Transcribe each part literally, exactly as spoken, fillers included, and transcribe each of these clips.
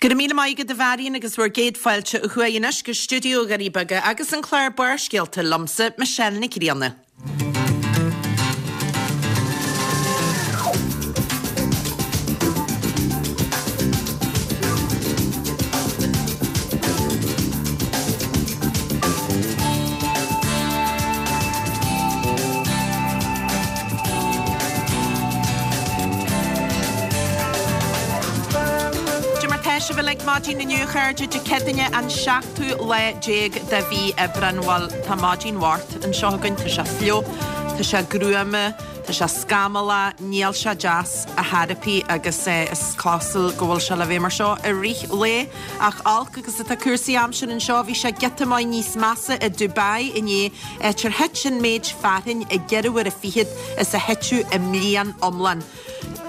Go raibh míle maith agat a Mharion agus bhur gcéad fáilte ó thuaidh anois go stiúideo Dhoirí Beaga agus an clár Barrscéalta liomsa, Michelle Nic Grianna. Cad é mar tá sibh uilig maidin inniu a chairde Dé Céadaoine an seachtú lá déag de mhí Aibreán. Bhuel, tá maidin Mháirt anseo againn, tá sé fliuch, tá sé gruama, tá sé scamallach, níl sé deas ar chor ar bith agus is cosúil go bhfuil sé le bheith mar seo i rith lae. Ach olc agus atá cúrsaí aimsire anseo, bhí sé giota maith níos measa i Dubai inné, áit ar thit an méid fearthainn i gceithre huaire fichead is a thiteadh i mbliain iomlán.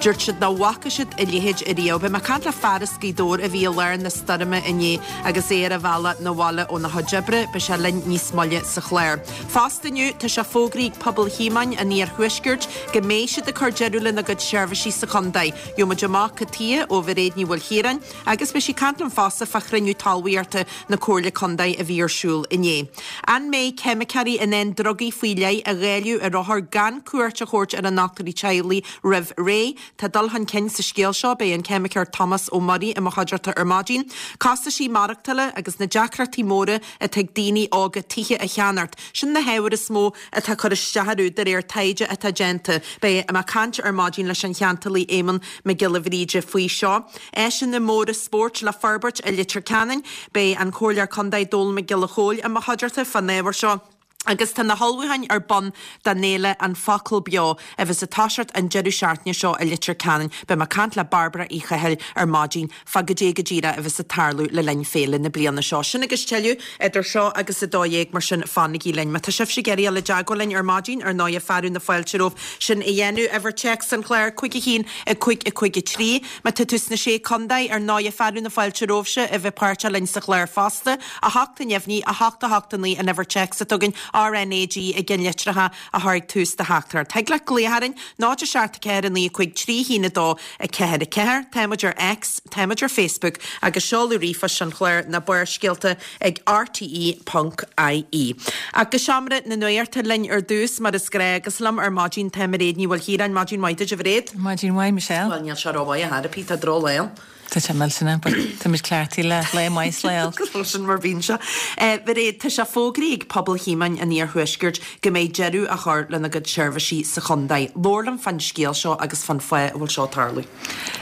Dúirt siad nach bhfaca siad a leithéid ariamh. Beidh mé ag caint le fear as Gaoth Dobhair a bhí i lár na stoirme inné agus é ar a bhealach 'na bhaile óna chuid oibre. Beidh sé linn níos moille sa chlár. Fosta inniu, tá sé fógraithe ag Pobal Thíomáin an Iarthuaiscirt go mbeidh siad ag cur deireadh lena gcuid seirbhísí sa chontae. Gheobhaidh muid amach cad tuighe ó Mhairéad Ní Mhaoilchiaráin agus beidh sí ag caint linn fosta fá chruinniú talmhaíochta na Comhairle Contae a bhí ar siúl inné. An mbeidh ceimiceoirí in ann drugaí faoi leith a dháileadh ar othair gan cuairt a thabhairt ar a ndochtúirí teaghlaigh roimh ré? Tá dul chun cinn sa scéal seo, beidh an ceimiceoir Tomás Ó Muirí i mo chuideachta ar maidin. Costaisí maireachtála agus na deacrachtaí móra atá ag daoine óga tithe a cheannacht, sin na hábhair is mó atá ag cur isteach orthu de réir taighde atá déanta. Beidh mé ag caint ar maidin leis an cheantálaí Éamonn Mac Giolla Bhríde faoi seo. Áiseanna móra spóirt le forbairt i Leitir Ceanainn. Beidh an Comhairleoir Contae Dónall Mac Giolla Chóill i mo chuideachta fán ábhar seo. Agus tá na hullmhúcháin ar bun don fhéile An Focal Beo a bheas ag toiseacht an deireadh seachtaine seo i Leitir Ceanainn. Beidh mé ag caint le Bairbre Uí Chathail ar maidin fá goidé go díreach a bheas ag tarlú le linn féile na bliana seo. Sin agus tuilleadh idir seo agus a dó dhéag, mar sin fanaigí linn. Má tá sibhse ag iarraidh dul i dteagmháil linn ar maidin, ar ndóighe fearadh na fáilte romhaibh sin a dhéanamh. Uimhir téacs an chláir, cúig a haon, a cúig, a cúig a trí. Má tá tú sna Sé Contae, ar ndóighe fearadh na fáilte romhaibhse a bheith páirteach linn sa chlár fosta. A hocht a neamhní, a hocht a hocht a naoi an uimhir téacs atá againn, RnaG i gceannlitreacha a chur ag tús do theachtaireacht. Thig leat glaoch orainn, náid a seacht a ceathair a naoi a cúig trí haon a dó a ceathair a ceathair. Tá muid ar X, tá muid ar Facebook agus seoladh ríomhphoist an chláir ná Barrscéalta ag rte ponc ie. Ach go seomra na nuachta linn ar dtús mar is gnách agus liom ar maidin tá Mairéad Ní Mhaoilchiaráin. Maidin mhaith duit a Mhairéad. Maidin mhaith Michelle. Bhuel níl sé rómhaith ar chor ar bith, tá drochlá ann. Tá sé millteanach, but táimid cleachtaithe le lá maith is lá olc. Sin mar bhíonn sé. Mhairéad, tá sé fógraithe ag Pobal Thíomáin an Iarthuaiscirt go mbeidh deireadh á chur lena gcuid seirbhísí sa chontae. Labhair liom fán scéal seo agus fán fáth a bhfuil seo ag tarlú.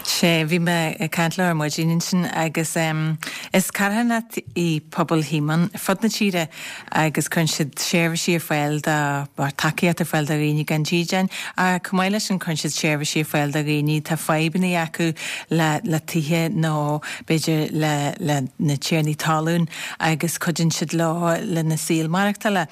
Sea, bhí mé ag caint leo ar maidin ansin agus is carthanacht í Pobal Thíomáin ar fud na tíre agus cuireann siad seirbhísí ar fáil do, tacaíocht ar fáil do dhaoine gan dídean ach chomh maith leis sin cuireann siad seirbhísí ar fáil do dhaoine atá fadhbanna acu le le tithe nó b'fhéidir le le na tiarnaí talún agus cuidíonn siad leo lena saol maireachtála.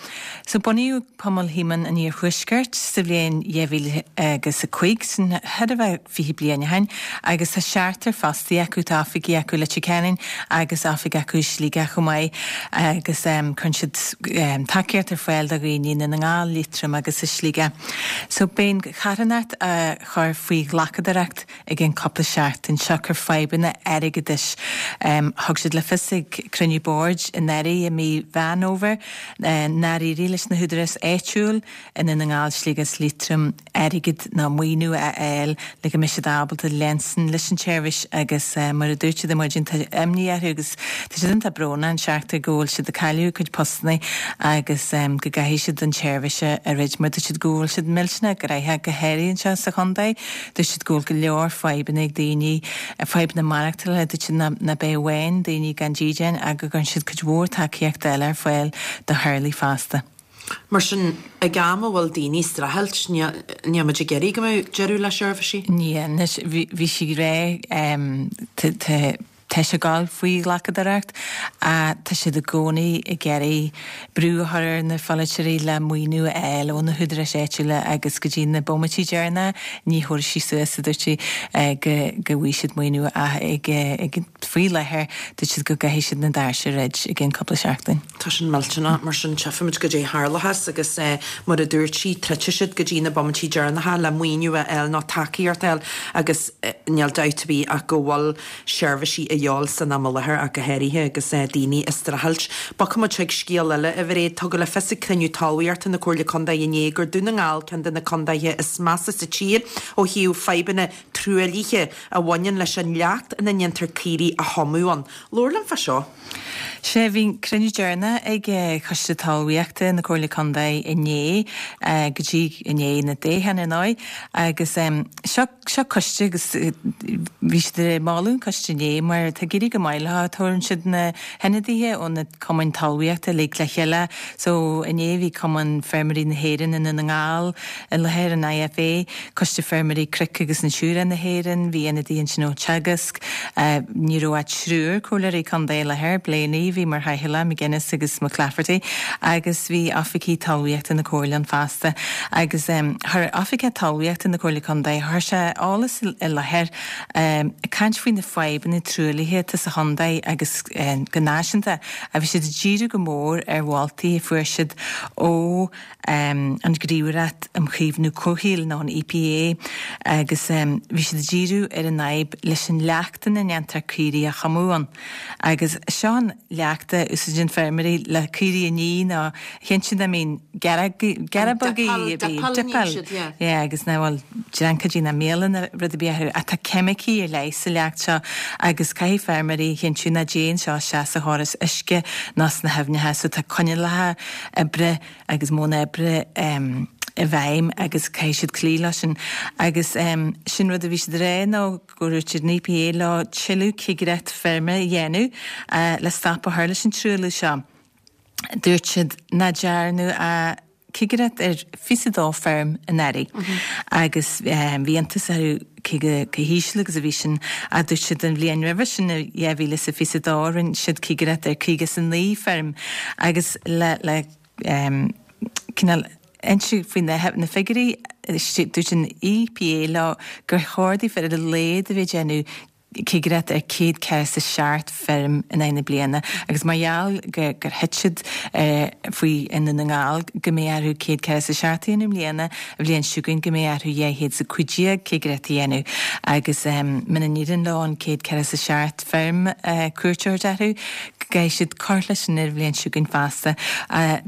So bunaíodh Pobal Thíomáin an Iarthuaiscirt sa bhliain dhá mhíle agus a cúig, sin chóir a bheith fiche bliain ó shin, agus tá seachtar fostaí acu, tá oifigí acu i Leitir Ceanainn agus oifig acu i Sligeach chomh maith agus cuireann siad tacaíocht ar fáil do dhaoine i nDún na nGall, Liatroim agus i Sligeach. So beidh an charthanacht á chur faoi ghlacadóireacht i gcionn cúpla seachtain, siocair fadhbanna airgeadais. Thug siad le fios ag cruinniú boird anuraidh i mí Mheán Fhómhair nár éirigh leis na húdaráis áitiúil i nDún na nGall, Sligeach is Liatroim airgead ná maoiniú a fháil le go mbeidh siad ábalta leanstan leis an tseirbhís agus mar a dúirt siad ar maidin tá imní orthu agus tá siad iontach brónach an seachtar go bhfuil siad ag cailleadh a gcuid postanna agus go gcaithfidh siad an tseirbhís a dhruid mar dúirt siad go bhfuil siad millteanach gnaitheach go háirithe anseo sa chontae. Dúirt siad go bhfuil go leor fadhbanna ag daoine, fadhbanna maireachtála, dúirt siad nach b'é amháin daoine gan dídean ach go gcuireann siad cuid mhór tacaíochta eile ar fáil do theaghlaigh fosta. Mar sin, ag am a bhfuil daoine ag streachailt, níl muid ag iarraidh go mbeadh deireadh le seirbhísí. Níl, anois bhí sí ag rá, tá tá sé ag gabháil faoi ghlacadóireacht ach tá siad i gcónaí ag iarraidh brú a chur ar na pholaiteoirí le maoiniú a fháil ó na húdaráis áitiúla agus go dtí na bomaití deireanacha ní thabharfaidh sí suas, a dúirt sí, go go bhfaighidh siad maoiniú ach ag ag faoi láthair dúirt siad go gcaithfidh siad na doirse a dhruid i gcionn cúpla seachtain. Tá sin millteanach, mar sin tchífimid goidé a tharlóchas agus mar a dúirt sí troidfidh siad go dtí na bomaití deireanacha le maoiniú a fháil nó tacaíocht a fháil agus níl dabht ar bith ach go bhfuil seirbhísí a dhíobháil san am i láthair ach go háirithe agus daoine ag streachailt. Bogfaidh muid chuig scéal eile, a Mhairéad. Tugadh le fios ag cruinniú talmhaíochta na Comhairle Contae inné gur Dún na nGall ceann de na contaetha is measa sa tír ó thaobh fadhbanna truaillithe a bhaineann leis an leacht ina ndéantar caoirigh a thumadh ann. Labhair liom fá seo. Sea, bhí cruinniú deireanach ag Coiste Talmhaíochta na Comhairle Contae inné, go dtí inné na Dé haoine ar ndóigh, agus seo seo coiste agus bhí siad ag moladh an coiste inné mar tá ag éirí go maith leo, tabharann siad na hionadaithe ó na cumainn talmhaíochta uilig le chéile. So inné bhí Cumann Feirmeoirí na hÉireann i nDún na nGall i láthair, an IFA, Coiste Feirmeoirí Cnoic agus Natura na hÉireann, bhí ionadaí ansin ó Teagasc, ní raibh ach triúr comhairleoirí contae i láthair, Blaney a bhí mar chathaoirleach, McGuinness agus McClafferty, agus bhí oifigigh talmhaíochta na Comhairle ann fosta. Agus chuir oifigeach talmhaíochta na Comhairle Contae, chuir sé eolas i láthair ag caint faoi na fadhbanna truaillithe atá sa chontae agus go náisiúnta, a bhí siad ag díriú go mór ar mholtaí a fuair siad ó an Ghníomhaireacht um Chaomhnú Comhshaoil nó an EPA agus bhí siad ag díriú ar an fhadhb leis an leacht ina ndéantar caoirigh a thumadh ann. Agus seo an leacht a úsáideann feirmeoirí le caoirigh a ní nó chinntiú nach mbíonn gearrbogaí dippeáil yeah agus nach bhfuil dreancaidí ná míola ná rud ar bith orthu. Ach tá ceimicí ar leith sa leacht seo agus caithfidh feirmeoirí a chinntiú nach dtéann seo isteach sa chóras uisce ná sna haibhneacha so tá coinníollacha oibre agus modhanna oibre i bhfeidhm agus caithfidh siad cloí leo sin. Agus sin rud a bhí siad ag rá nó go ndúirt an EPA leo tuilleadh cigireacht feirme a dhéanamh le stop a chur leis an truailliú seo. Dúirt siad nach ndearnadh ach cigireacht ar fiche dó feirm anuraidh agus bhí iontas orthu cé chomh híseal agus a bhí sin ach dúirt siad an bhliain roimhe sin i dhá mhíle is a fiche dó rinne siad cigireacht ar caoga is a naoi feirm agus le le cineál inse faoi na figiúirí dúirt an EPA leo gur chóir daofa ar a laghad a bheith ag déanamh cigireacht ar céad ceathracha is a seacht feirm in aghaidh na bliana agus mar gheall gur thit siad faoi i nDún na nGall go mbeidh orthu céad ceathracha is a seacht a dhéanamh i mbliana, an bhliain seo chugainn go mbeidh orthu dhá chéad is a cúig déag cigireacht a dhéanamh agus muna n-éiríonn leo an céad ceathracha is a seacht feirm cuairt a thabhairt orthu go gcaithfidh siad cur leis sin ar an bhliain seo chugainn feasta.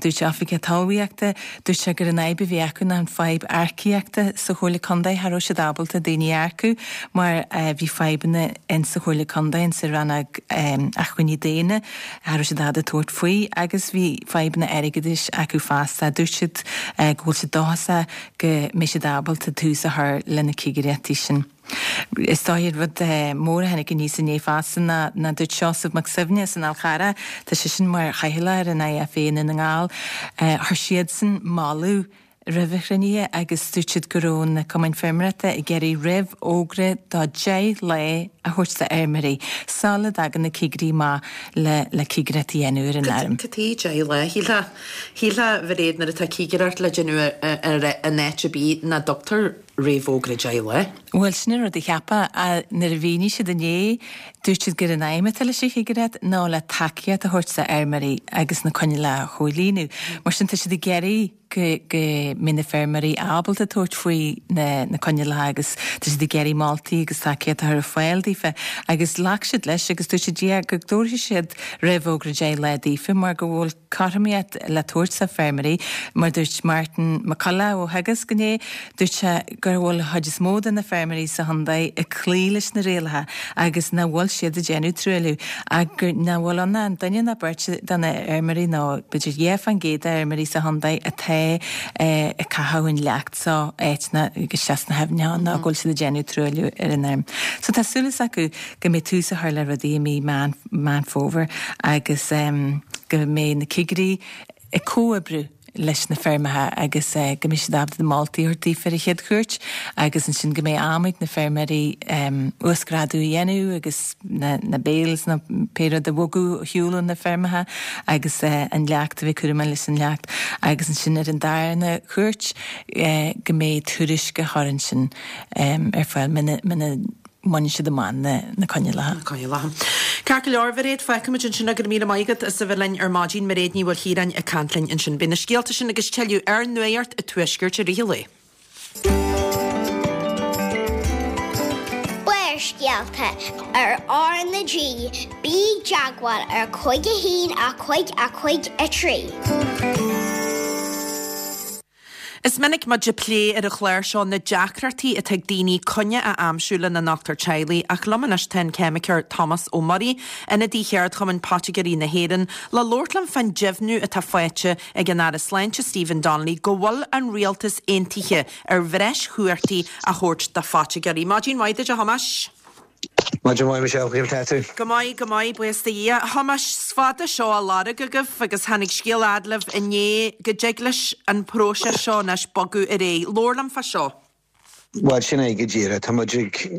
Dúirt Oifigeach Talmhaíochta, dúirt sé gur an fhadhb a bhí acu ná an fadhb earcaíochta sa Chomhairle Contae, cha raibh siad ábalta daoine a earcú mar bhí fadhbanna in sa Chomhairle Contae, in sa rannóg acmhainní daonna, cha raibh siad ábalta tabhairt faoi agus bhí fadhbanna airgeadais acu fosta. Dúirt siad go bhfuil siad dóchasach go mbeidh siad ábalta tús a chur le na cigireachtaí sin. Is dóigh an rud mór a tháinig aníos inné fosta ná ná dúirt Seosamh Mac Suibhne as an Fhál Charrach, tá seisean mar chathaoirleach ar an IFA i nDún na nGall, chuir siadsan moladh roimh an chruinnithe agus dúirt siad go raibh na cumainn feirmeoireachta ag iarraidh réamhfhógra do deich lá a thabhairt do fheirmeoirí sula dtagann na cigirí amach le le cigireacht a dhéanamh ar an fheirm. Cad chuige deich lá? Shílfeá, shílfeá a Mhairéad nuair atá cigireacht le déanamh ar in áit ar bith nach dtugtar réamhfhógra deich lá. Bhuel, sin an rud a cheapfá. Nuair a mhínigh siad inné, dúirt siad gur an aidhm atá leis an chigireacht ná le tacaíocht a thabhairt do fheirmeoirí agus na coinníollacha a chomhlíonadh. Mar sin tá siad ag iarraidh go go mbeidh na feirmeoirí ábalta tabhairt faoi na na coinníollacha agus tá siad ag iarraidh moltaí agus tacaíocht a chur ar fáil daofa. Agus ghlac siad leis agus dúirt siad yeah go dtabharfaidh siad réamhfhógra deich lá daofa mar go bhfuil cothromaíocht le tabhairt do feirmeoirí. Mar dúirt Martin McCullough ó Theagasc inné, dúirt sé gur bhfuil an chuid is mó de na feirmeoirí sa chontae ag cloí leis na rialacha agus nach bhfuil siad ag déanamh truailliú ach gur nach bhfuil ann ach duine nó beirt de na feirmeoirí nó b'fhéidir dhá faoin gcéad de fheirmeoirí sa chontae atá ag caitheamh an leacht seo áiteanna agus isteach sna haibhneacha nó go bhfuil siad ag déanamh truailliú ar an fheirm. So tá súil acu go mbeidh tús á chur le rudaí i mí Meán Meán Fómhair agus go mbeidh na cigirí ag comhoibriú leis na feirmeacha agus go mbeidh siad ábalta na moltaí a thabhairt daofa ar an chéad chuairt agus ansin go mbeidh am ag na feirmeoirí uasghrádú a dhéanamh agus na na bales nó pé rud a bhogadh ar shiúl ó na feirmeacha agus an leacht a bheith cúramach leis an leacht agus ansin ar an darna cuairt go mbeidh tuairisc á chur ansin ar fáil muna muna mbaineann siad amach na coinníollacha. Na coinníollacha. Ceart go leor, a Mhairéad, fágfaimid ansin go raibh míle maith agat as a bheith linn ar maidin. Mairéad Ní Mhaoilchiaráin ag caint linn ansin. Beidh na scéalta sin agus tuilleadh ar Nuacht an Tuaiscirt i rith an lae. Barrscéalta. Speisialta ar R na G, bí i dteagmháil ar cúig a haon a cúig a cúig a trí. Is minic muid ag plé ar an chlár seo na deacrachtaí atá ag daoine coinne a aimsiú lena ndochtúir teaghlaigh ach liom anois tá an ceimiceoir Tomás Ó Muirí, ionadaí Cheardchumann Poitigéirí na hÉireann, le labhairt liom fán deimhniú atá faighte ag an Aire Sláinte Stephen Donnelly go bhfuil an rialtas aontaithe ar bhreis chumhachtaí a thabhairt do phoitigéirí. Maidin mhaith duit a Thomáis. Maidin mhaith Michelle, cén chaoi tú? Go maith, go maith, buíochas do Dhia. Thomáis, is fada seo á lorg agaibh agus tháinig scéal fhad libh inné go dtig leis an próiseas seo anois bogadh ar aghaidh. Labhair liom fá seo. Bhuel sin é go díreach tá muid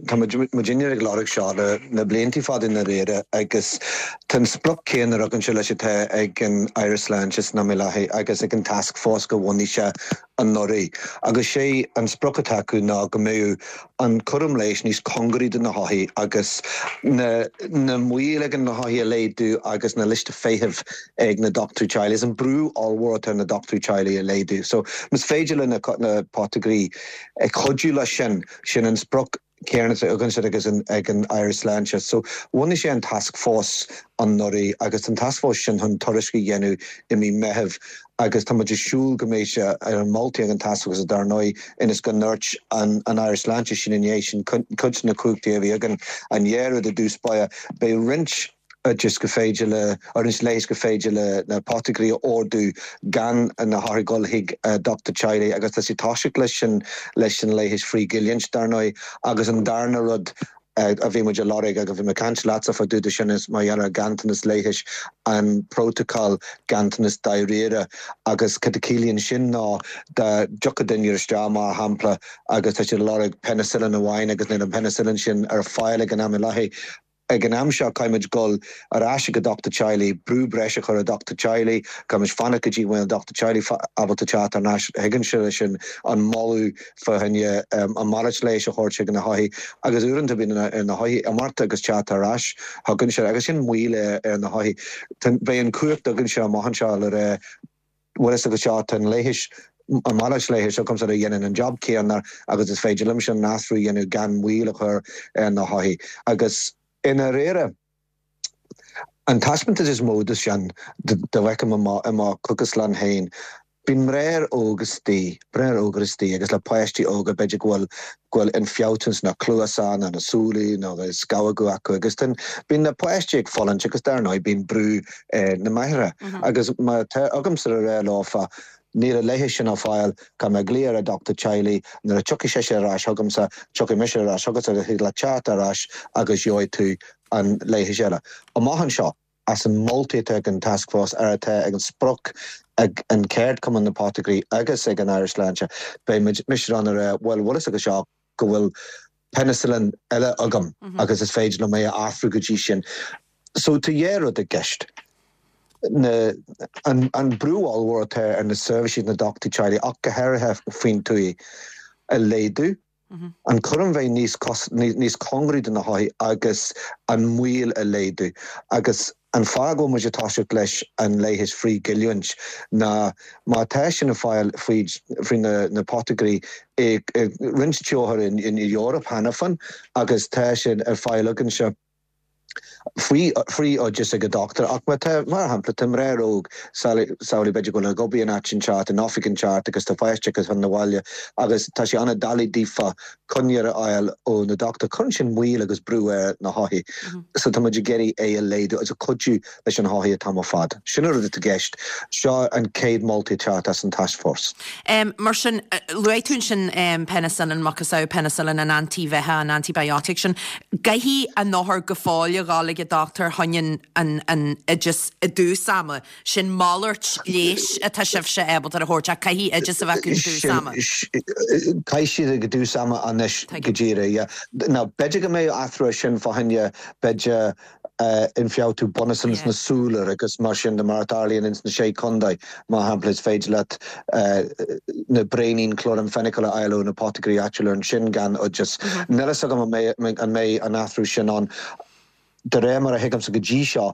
tá muid muidinne ag lorg seo le na blianta fada i ndáiríre agus tá an sprioc céanna againne leis atá ag an Aire Sláinte san am i láthair agus ag an task force go bhunaigh sé anuraidh. Agus sé an sprioc atá acu ná go mbeadh an cúram leighis níos cóngaraí do na hothair agus na na moill ag na hothair a laghdú agus na liostaí feithimh ag na dochtúirí teaghlaigh is an brú ollmhór atá ar na dochtúirí teaghlaigh a laghdú. So más féidir le na na poitigéirí ag cuidiú leis sin sin an sprioc céanna againne agus ag an Aire Sláinte. So bhunaigh sé an task force anuraidh agus an task force sin chun tuairisc a dhéanamh i mí Meitheamh agus tá muid ag súil go mbeidh sé ar an moltaí ag an task force dar ndóigh ionas go ndúirt an an Aire Sláinte sin inné sin cuid na cumhachtaí a bhí againn an deireadh i dtús báire beidh roinnt oideas go féidir le roinnt leighis go féidir le na poitigéirí a ordú gan na hothair dul chuig dochtúir teaghlaigh agus tá sé toiseacht leis sin leis an leigheas frithghiniúint dar ndóigh agus an darna rud a bhí muid ag lorg agus bhí mé ag caint leatsa fá dtaobh de sin is mar gheall ar ganntanas leighis an prótacal ganntanas dáiríre agus cad a chiallaíonn sin ná dá dtiocfadh duine isteach mar shampla agus tá siad ag lorg penicillin amháin agus níl an penicillin sin ar fáil ag an am i láthair ag an am seo caithfimid dul ar ais go dochtúir teaghlaigh, brú breise a chur ar dochtúir teaghlaigh, caithfimid fanacht go dtí go bhfuil an dochtúir teaghlaigh ábalta teacht ar ais chugainne leis sin an moladh fá choinne an malairt leighis a thabhairt chuig na hothair agus uaireanta bíonn ar na hothair imeacht agus teacht ar ais chugainne agus sin moill ar na hothair. Beidh an cumhacht againne amach anseo le rá bhfuil fhios agat seo tá an leighis an malairt leighis agamsa a dhéanann an job céanna agus is féidir liomsa an t-athrú a dhéanamh gan moill a chur ar na hothair agus I ndáiríre, an taispeántas is mó de sin dá bhfeicim i mo chógaslann féin, bíonn mná óga istigh, mná óga istigh agus le páistí óga b'fhéidir go bhfuil go bhfuil ionfhabhtú sna cluasa nó na súile nó scamhóga acu agus then bíonn na páistí ag fulaingt agus dar ndóigh bíonn brú ar na máithreacha agus má tá agamsa a rá leofa Níl an leigheas sin ar fáil, caithfidh mé glaoch ar an dochtúir teaghlaigh, nuair a tiocfaidh sise ar ais chugamsa, tiocfaidh mise ar ais chugatsa agus thig leat teacht ar ais agus gheobhaidh tú an leigheas eile. Amach anseo, as an moltaí atá ag an Taskforce, ar atá ag an sprioc ag an Ceardchumann na Poitigéirí agus ag an Aire Sláinte, beidh mise in ann a rá, bhuel, bhfuil fhios agat seo go bhfuil penicillin eile agam agus is féidir liom é a athrú go dtí sin. So tá dhá rud i gceist. Na, an, an brú ollmhór atá ar na seirbhísí na dochtúirí teaghlaigh ach go háirithe faoin tuath a laghdú, an cúram bheith níos, níos cóngaraí do na hothair agus an moill a laghdú. Agus an fáth go bhfuil muid ag toiseacht leis an leigheas frithghiniúint ná má tá sin ar fáil faoi, faoi na, na poitigéirí i, i roinnt tíortha in, in Eoraip cheana féin agus tá sin ar fáil againne faoi faoi oideas ag an dochtúir ach má tá, mar shampla, tá mná óg, samhlaigh b'fhéidir go bhfuil ag obair in áit inteacht, in oifig inteacht agus tá páiste acu chun na bhaile agus tá sé an-doiligh daofa coinne a fháil ó na dochtúir. Cuireann sin moill agus brú ar na hothair. So tá muid ag iarraidh é a laghdú agus a cuidiú leis an hothair an t-am ar fad. Sin an rud atá i gceist. Seo an chéad moltaí ag teacht as an taskforce. Mar sin, luaigh tú ansin penicillin, macasamhail penicillin, an antaibheathach, an antibiotic sin. Caithfidh an othar go fóill a dhul ag an dochtúir chun an an oideas i dtús ama. Sin malairt leighis atá sibhse ábalta a thabhairt ach caithfidh oideas a bheith acu i dtús ama. Caithfidh siad ag dtús ama anois go díreach, yeah. Now, b'fhéidir go mbeidh athrú ar sin fá choinne, b'fhéidir, ionfhabhtú bunúsach ins na súile agus mar sin de mar a tharlaíonn ins na Sé Chontae, mar shampla, is féidir leat na braoinín chloramphenicol a fháil ó na poitigéirí áitiúla ansin gan oideas. Níl a fhios agam an mbeidh an mbeidh an athrú sin ann. De réir mar a thuigimse go dtí seo,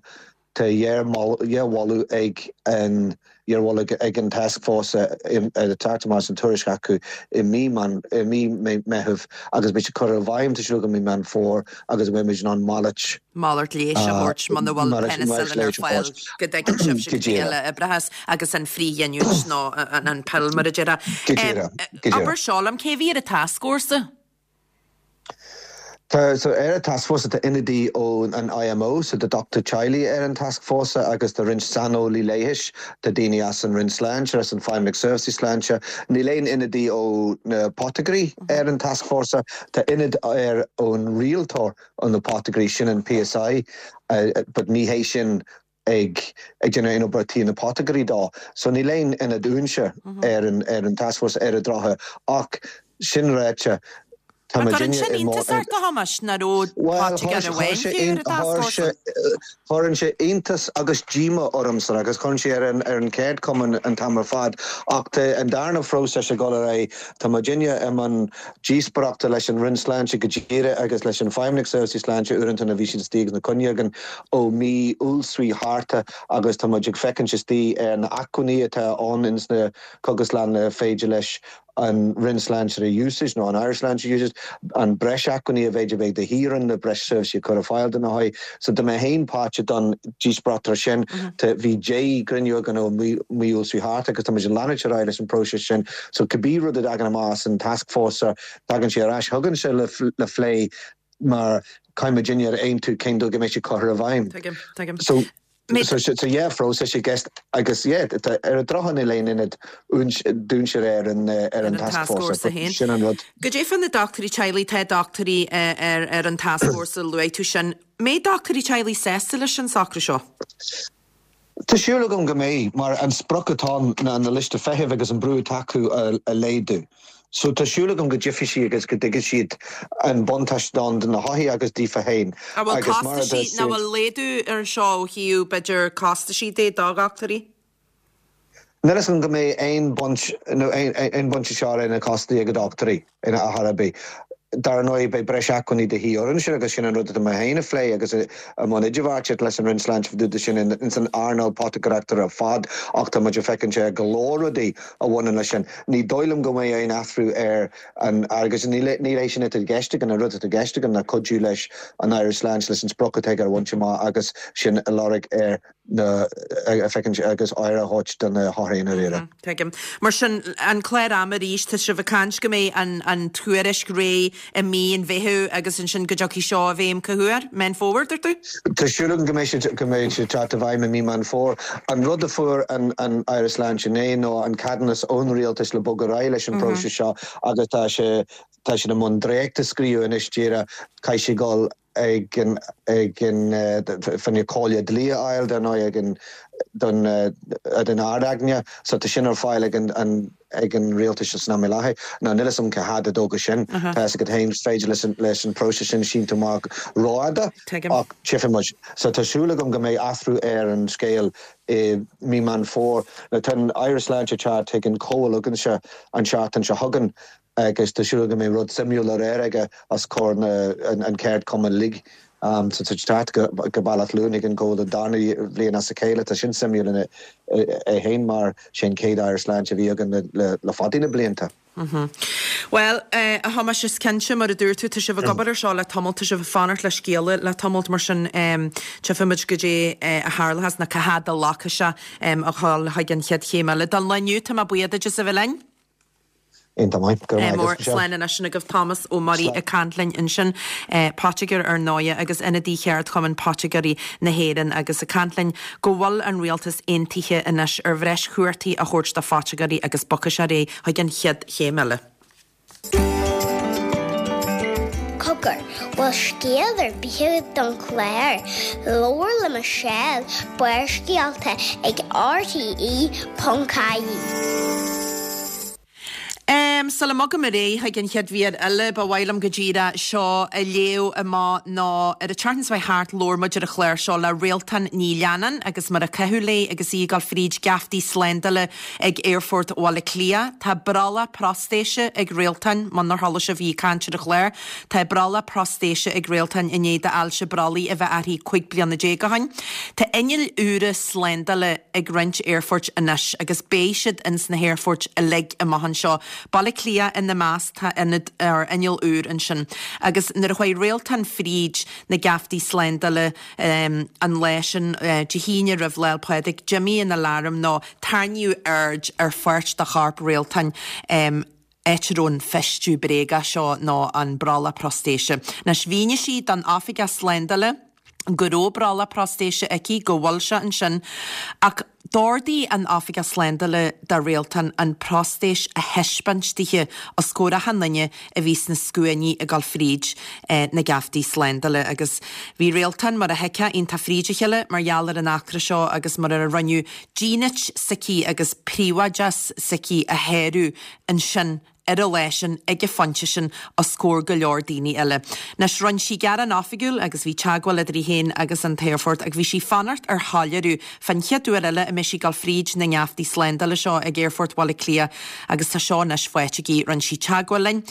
tá dhá mholadh ag an Iarmholadh ag an taskforce teacht amach an tuairisc acu i mí i mí Meitheamh agus beidh sé curtha i bhfeidhm tá súil agam i mí Meán Fómhair agus beidh muid in ann malairt malairt leighis a thabhairt muna bhfuil penicillin ar fáil go dtuigeann sibhse Go go dtí díreach. eile oibreachas agus an frithghiniúint nó an an pill mar a déarfá. Go díreach, go díreach. Abair seo liom cé bhí ar an taskfhórsa? Tá so ar an taskforce tá ionadaí ón an IMO so tá dochtúir teaghlaigh ar an taskforce agus tá roinnt saineolaí leighis tá daoine as an Roinn Sláinte as an Feidhmeannacht Seirbhísí Sláinte níl aon ionadaí ó na poticeáirí ar an taskforce tá ionad ar ón rialtóir an na poticeáirí sin an PSI uh, but ní hé sin ag ag déanamh aon obair tí na poticeáirí dá so níl aon ionad uainse ar an ar an taskforce ar an drochuair ach sin ráite Tá Cuireann sin iontas ort a Thomáis nach raibh poitigéir amháin fiú ar an taskfhórsa. Chuireann sé iontas agus díomá ormsa agus chuir sé ar an ar an cheardchumann an t-am ar fad ach tá an darna phróiseas ag dul ar aghaidh Tá muidinne i mbun díospóireachta leis an Roinn Sláinte go díreach agus leis an Feidhmeannacht Seirbhísí Sláinte uaireanta na bhí siad istigh na coinneagan ó mí Iúil thart agus tá muid ag féachaint istigh ar na acmhainní atá ann ins na cógaslanna féidir leis an Roinn Sláinte a úsáid nó an Aire Sláinte úsáid an breis acmhainní a bheidh bheith de híran na breis seirbhísí chur ar fáil do na hothair. So do mé féin páirteach don díospóireacht sin bhí deich gcruinniú againn ó mí Iúil thart agus tá muid ag leanúint ar aghaidh leis an próiseas sin. So cibé rud a dtagann amach an taskforce tagann sé ar ais chugainn sé le, le phlé mar caithfidh muidinne ar aontú cén dóigh go mbeidh sé curtha i bhfeidhm. Tuigim, tuigim. So So, so, so yeah, phróiseas i gceist agus yeah, ar an drochuair níl aon ionad dúinse ar an ar an taskforce sin an rud. Go dé fan na dochtúirí teaghlaigh tá dochtúirí ar ar an taskforce luaigh tú sin. Mbeidh dochtúirí teaghlaigh sásta leis an socrú seo? Tá súil agam go mbeidh mar an sprioc atá na na liosta feithimh agus an brú atá acu a, a laghdú. So tá súil agam go dtífidh siad agus go dtuigfidh siad an buntáiste don na hothair agus daofa féin. A bhfuil costasí na bhfuil laghdú ar seo ó thaobh b'fhéidir costasí de do dhochtúirí? Níl an go mbeidh aon baint aon baint seo ina costas ag dochtúirí ina a bí. Dar ndóigh beidh breis acmhainní de dhíth orainn sin agus sin an rud mé féin a phlé agus a mbun idirbheartaíocht leis an Roinn Sláinte fá sin in san earnáil poticeáireachta ar fad ach tá muid ag féachaint sé go leor rudaí a bhaineann leis sin. Ní dóigh liom go mbeidh aon athrú ar an agus níl é sin i gceist an rud i gceist na cuidiú leis an Aire Sláinte leis an sprioc atá aige a bhaint amach agus sin a lorg ar na féachaint agus aire a thabhairt do na hothair ar éire. Tuigim. Mar sin an clár ama arís tá sibh ag caint go mbeidh an an tuairisc réidh i mí an Mheithimh agus ansin go dtiocfaidh seo i bhfeidhm cá huair Meán Fómhair dúirt tú? Tá súil go mbeidh sé go mbeidh sé teacht i bhfeidhm i mí Meán Fómhair. An rud a fuair an an Aire Sláinte inné nó an ceadúnas ón rialtas le bogadh ar aghaidh leis an próiseas seo agus tá sé tá sé i mbun dréacht a scríobh anois díreach caithfidh sé dul ag an ag an fanne cóile dlí ail den ag an don den Ard-Aighne so tá sin ar fáil ag an an ag an rialtas san am i láthair ná níl a fhios agam cá fhad a dtógfaidh sin tá go haon féidir leis an leis an próiseas sin síneadh amach rófhada ach tchífidh muid so tá súil agam go mbeidh athrú ar an scéal i mí Meán Fómhair na tá an Aire Sláinte teacht ag an comhar againse an seachtain seo chugainn agus tá súil go mbeidh rud suimiúil ar air aige as cóir na an, an ceardchumann uilig. Um, so tá go go Baile Átha Luain an go an darna bhliain as a chéile tá sin suimiúil ina é féin mar sin céad Aire Sláinte a bhí againn le, le, le fada na blianta. Mm -hmm. Well uh, a Thomáis is cinnte mar a dúirt tú tá sibh ag obair ar seo le tamall tá sibh ag fanacht le scéala le tamall mar sin um, tchífimid go dtí uh, a tharlós na cá fhad a ghlacfaidh sé um, a chul chuig an chéad chéim eile. Don lá inniu tá mé buíoch duit as a bheith linn? Mór slán anois sin agaibh Thomas Ó Muirí ag caint linn ansin poitigéir ar ndóigh agus ionadaí cheardchumann poitigéirí na hÉireann agus ag caint linn go bhfuil an rialtas aontaithe anois ar bhreis cumhachtaí a thabhairt do phoitigéirí agus bogfaidh sé ar aghaidh chuig an chéad chéim eile. Cogar, bhfuil scéal ar bith don chlár, Labhair le Michelle, Barrscéalta ag RTE.ie. Um, Sula mbogaim ar aghaidh chuig an chéad mhír eile, ba mhaith liom go díreach seo a léamh amach ná ar an tseachtain seo thart labhair muid ar an chlár seo le Réaltán Ní Leannáin agus mar a caitheadh léi agus í ag dul fríd geaftaí slándála ag Aerfort Bhaile Átha Cliath. Tá brollach prostéise ag Réaltán, munar chuala sibh í ag caint ar an chlár. Tá brollach prostéise ag Réaltán i ndiaidh d'ailse brollaigh a bheith uirthi cúig bliana déag ó shin. Tá innill úra slándála ag roinnt aerfoirt anois agus beidh siad ins na haerfoirt uilig amach anseo. Baile Átha Cliath ina measc, tá ionad or inneall úr ansin. Agus nuair a chuaigh Réaltán fríd na geaftaí slándála an lá sin, Dé hAoine roimh Lá 'le Pádraig, d'imigh an alarm nó tarraingíodh aird ar pháirt de chorp Réaltáin, áit a raibh an feistiú bréagach seo nó an brollach prostéise. Anois mhínigh sí don oifigeach slándála go raibh brollach prostéise aici, go bhfuil sé ansin, ach d'ordaigh an oifigeach slándála do Réaltán an prostéis a thaispeáint dithe os comhair achan duine a bhí sna scuainí ag dul fríd na geaftaí slándála. Agus bhí Réaltán, mar a thuigfeá, iontach fríd a chéile mar gheall ar an eachtra seo agus mar a rinneadh dínit s'aici agus príobháideachas s'aici a shárú ansin ar an lá sin, ag an phointe sin, os comhair go leor daoine eile. Anois, rinne sí gearán oifigiúil agus bhí teagmháil idir í féin agus an t-aerfort ach bhí sí fanacht ar shoiléiriú fán chéad uair eile a mbeidh sí ag dul fríd na ngeaftaí slándála seo ag Aerfort Bhaile Átha Cliath agus tá seo anois faighte aici. Rinne sí teagmháil linn.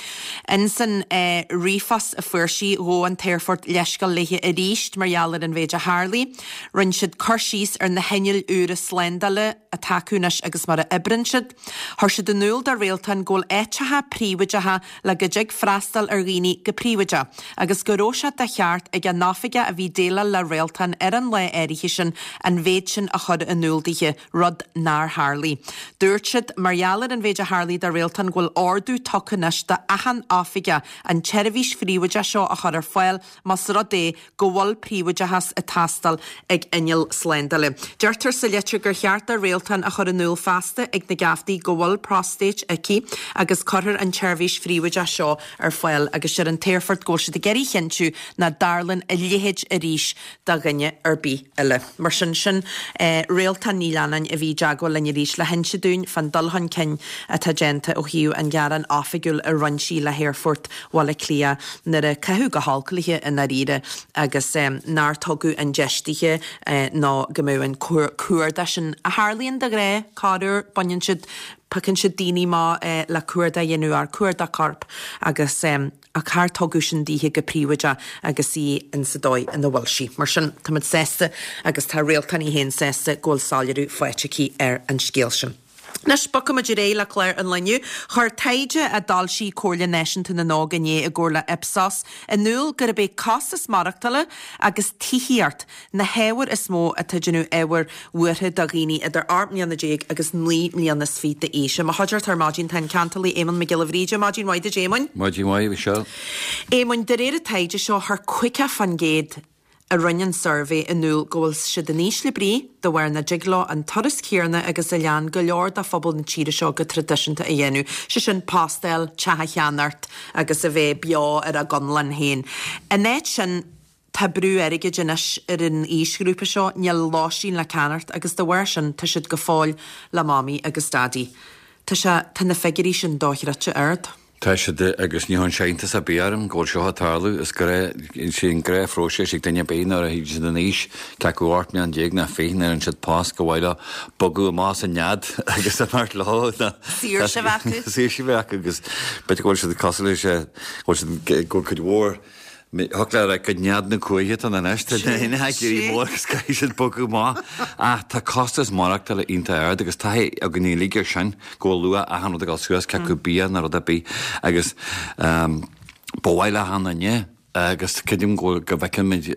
Insan ríomhphost a fuair sí, ghabh an t-aerfort leithscéal léi arís mar gheall ar an mhéid a tharlaigh. Rinne siad cur síos ar na hinnill úra slándála atá acu anois agus mar a oibríonn siad. Chuir siad in iúl do Réaltán go bhfuil áiteacha príobháideacha le go dtig freastal ar dhaoine go príobháideach agus go raibh sé de cheart ag an oifigeach a bhí ag déileáil le Réaltán ar an lá áirithe sin an mhéid sin a chur in iúl dithe, rud nár tharlaigh. Dúirt siad, mar gheall ar an mhéid a tharlaigh do Réaltán go bhfuil ordú tugtha anois do achan oifigeach an tseirbhís phríobháideach seo a chur ar fáil más rud é go bhfuil príobháideachas ag teastáil ag inneall slándála. Deirtear sa litir gur cheart do Réaltán a chur in iúl feasta ag na geaftaí go bhfuil próstéis aici agus cuirfear an tseirbhís phríobháideach seo ar fáil agus deir an t-aerfort go bhfuil siad ag iarraidh a chinntiú nach dtarlaíonn a leithéid arís do dhuine ar bith eile. Mar sin, sin Réaltán Ní Leannáin a bhí i dteagmháil linn arís le hinse dúinn fán dul chun cinn atá déanta ó thaobh an ghearán oifigiúil a rinne sí le hAerfort Bhaile Átha Cliath nuair a caitheadh go holc léi i ndáiríre agus nár tugadh an deis dithe ná go mbeadh an cuardach sin a tharlaíonn de ghnáth, corruair, baineann siad, piocann siad daoine amach le cuardach a dhéanamh ar cuardach coirp agus ach char tugadh sin dithe go príobháideach agus í insa dóigh ina bhfuil sí. Mar sin, táimid sásta agus tá Réaltán í féin sásta go bhfuil soiléiriú faighte aici ar an scéal sin. Anois, bogfaimid ar aghaidh le clár an lae inniu. Chuir taighde a d'fhoilsigh Comhairle Náisiúnta na nÓg inné i gcomhar le Ipsos in iúl gurb é costas maireachtála agus tithíocht na hábhair is mó atá ag déanamh ábhair bhuartha do dhaoine idir ocht mbliana déag agus naoi mbliana is fiche d'aois. I mo chuideachta ar maidin tá an ceantálaí Éamonn Mac Giolla Bhríde. Maidin mhaith duit, Éamoinn. Maidin mhaith, Michelle. Éamoinn, de réir an taighde seo, chuir caoga faoin gcéad a rinne an suirbhé in iúl go bhfuil siad in ísle brí de bharr nach dtig leo an turas céanna agus a lean go leor de phobal na tíre seo go traidisiúnta a dhéanamh, sé sin post a fháil, teach a cheannacht agus a bheith beo ar a gconlán féin. In áit sin, tá brú airgid anois ar an aoisghrúpa seo, níl lóistín le ceannacht agus de bharr sin tá siad go fóill le Mamaí agus Daidí. Tá sé, tá na figiúirí sin dochreidte ard. Tá siad, agus ní chuireann sé iontas ar bith orm go bhfuil seo ag tarlú. Is gnáth, is é an gnáthphróiseas ag duine ar bith nuair a théann siad in aois, cé acu ocht mbliana déag ná fiche, nuair a fhaigheann siad post gur mhaith leo bogadh amach as an nead agus imeacht leo. Saoirse a bheith acu. Saoirse a bheith acu agus b'fhéidir go bhfuil siad cosúil leis, go bhfuil siad, go bhfuil cuid mhór, Thiocfadh leat a rá gur nead na cuaiche atá ann anois, tá na hinfheistíochtaí mór agus caithfidh siad bogadh amach. Ach tá costas maireachtála iontach ard agus taithí againn uilig air sin go bhfuil luach achan rud ag dul suas, cé acu bia nó rud ar bith. Agus ba mhaith le achan duine agus creidim go bhfuil, go bhfeicimid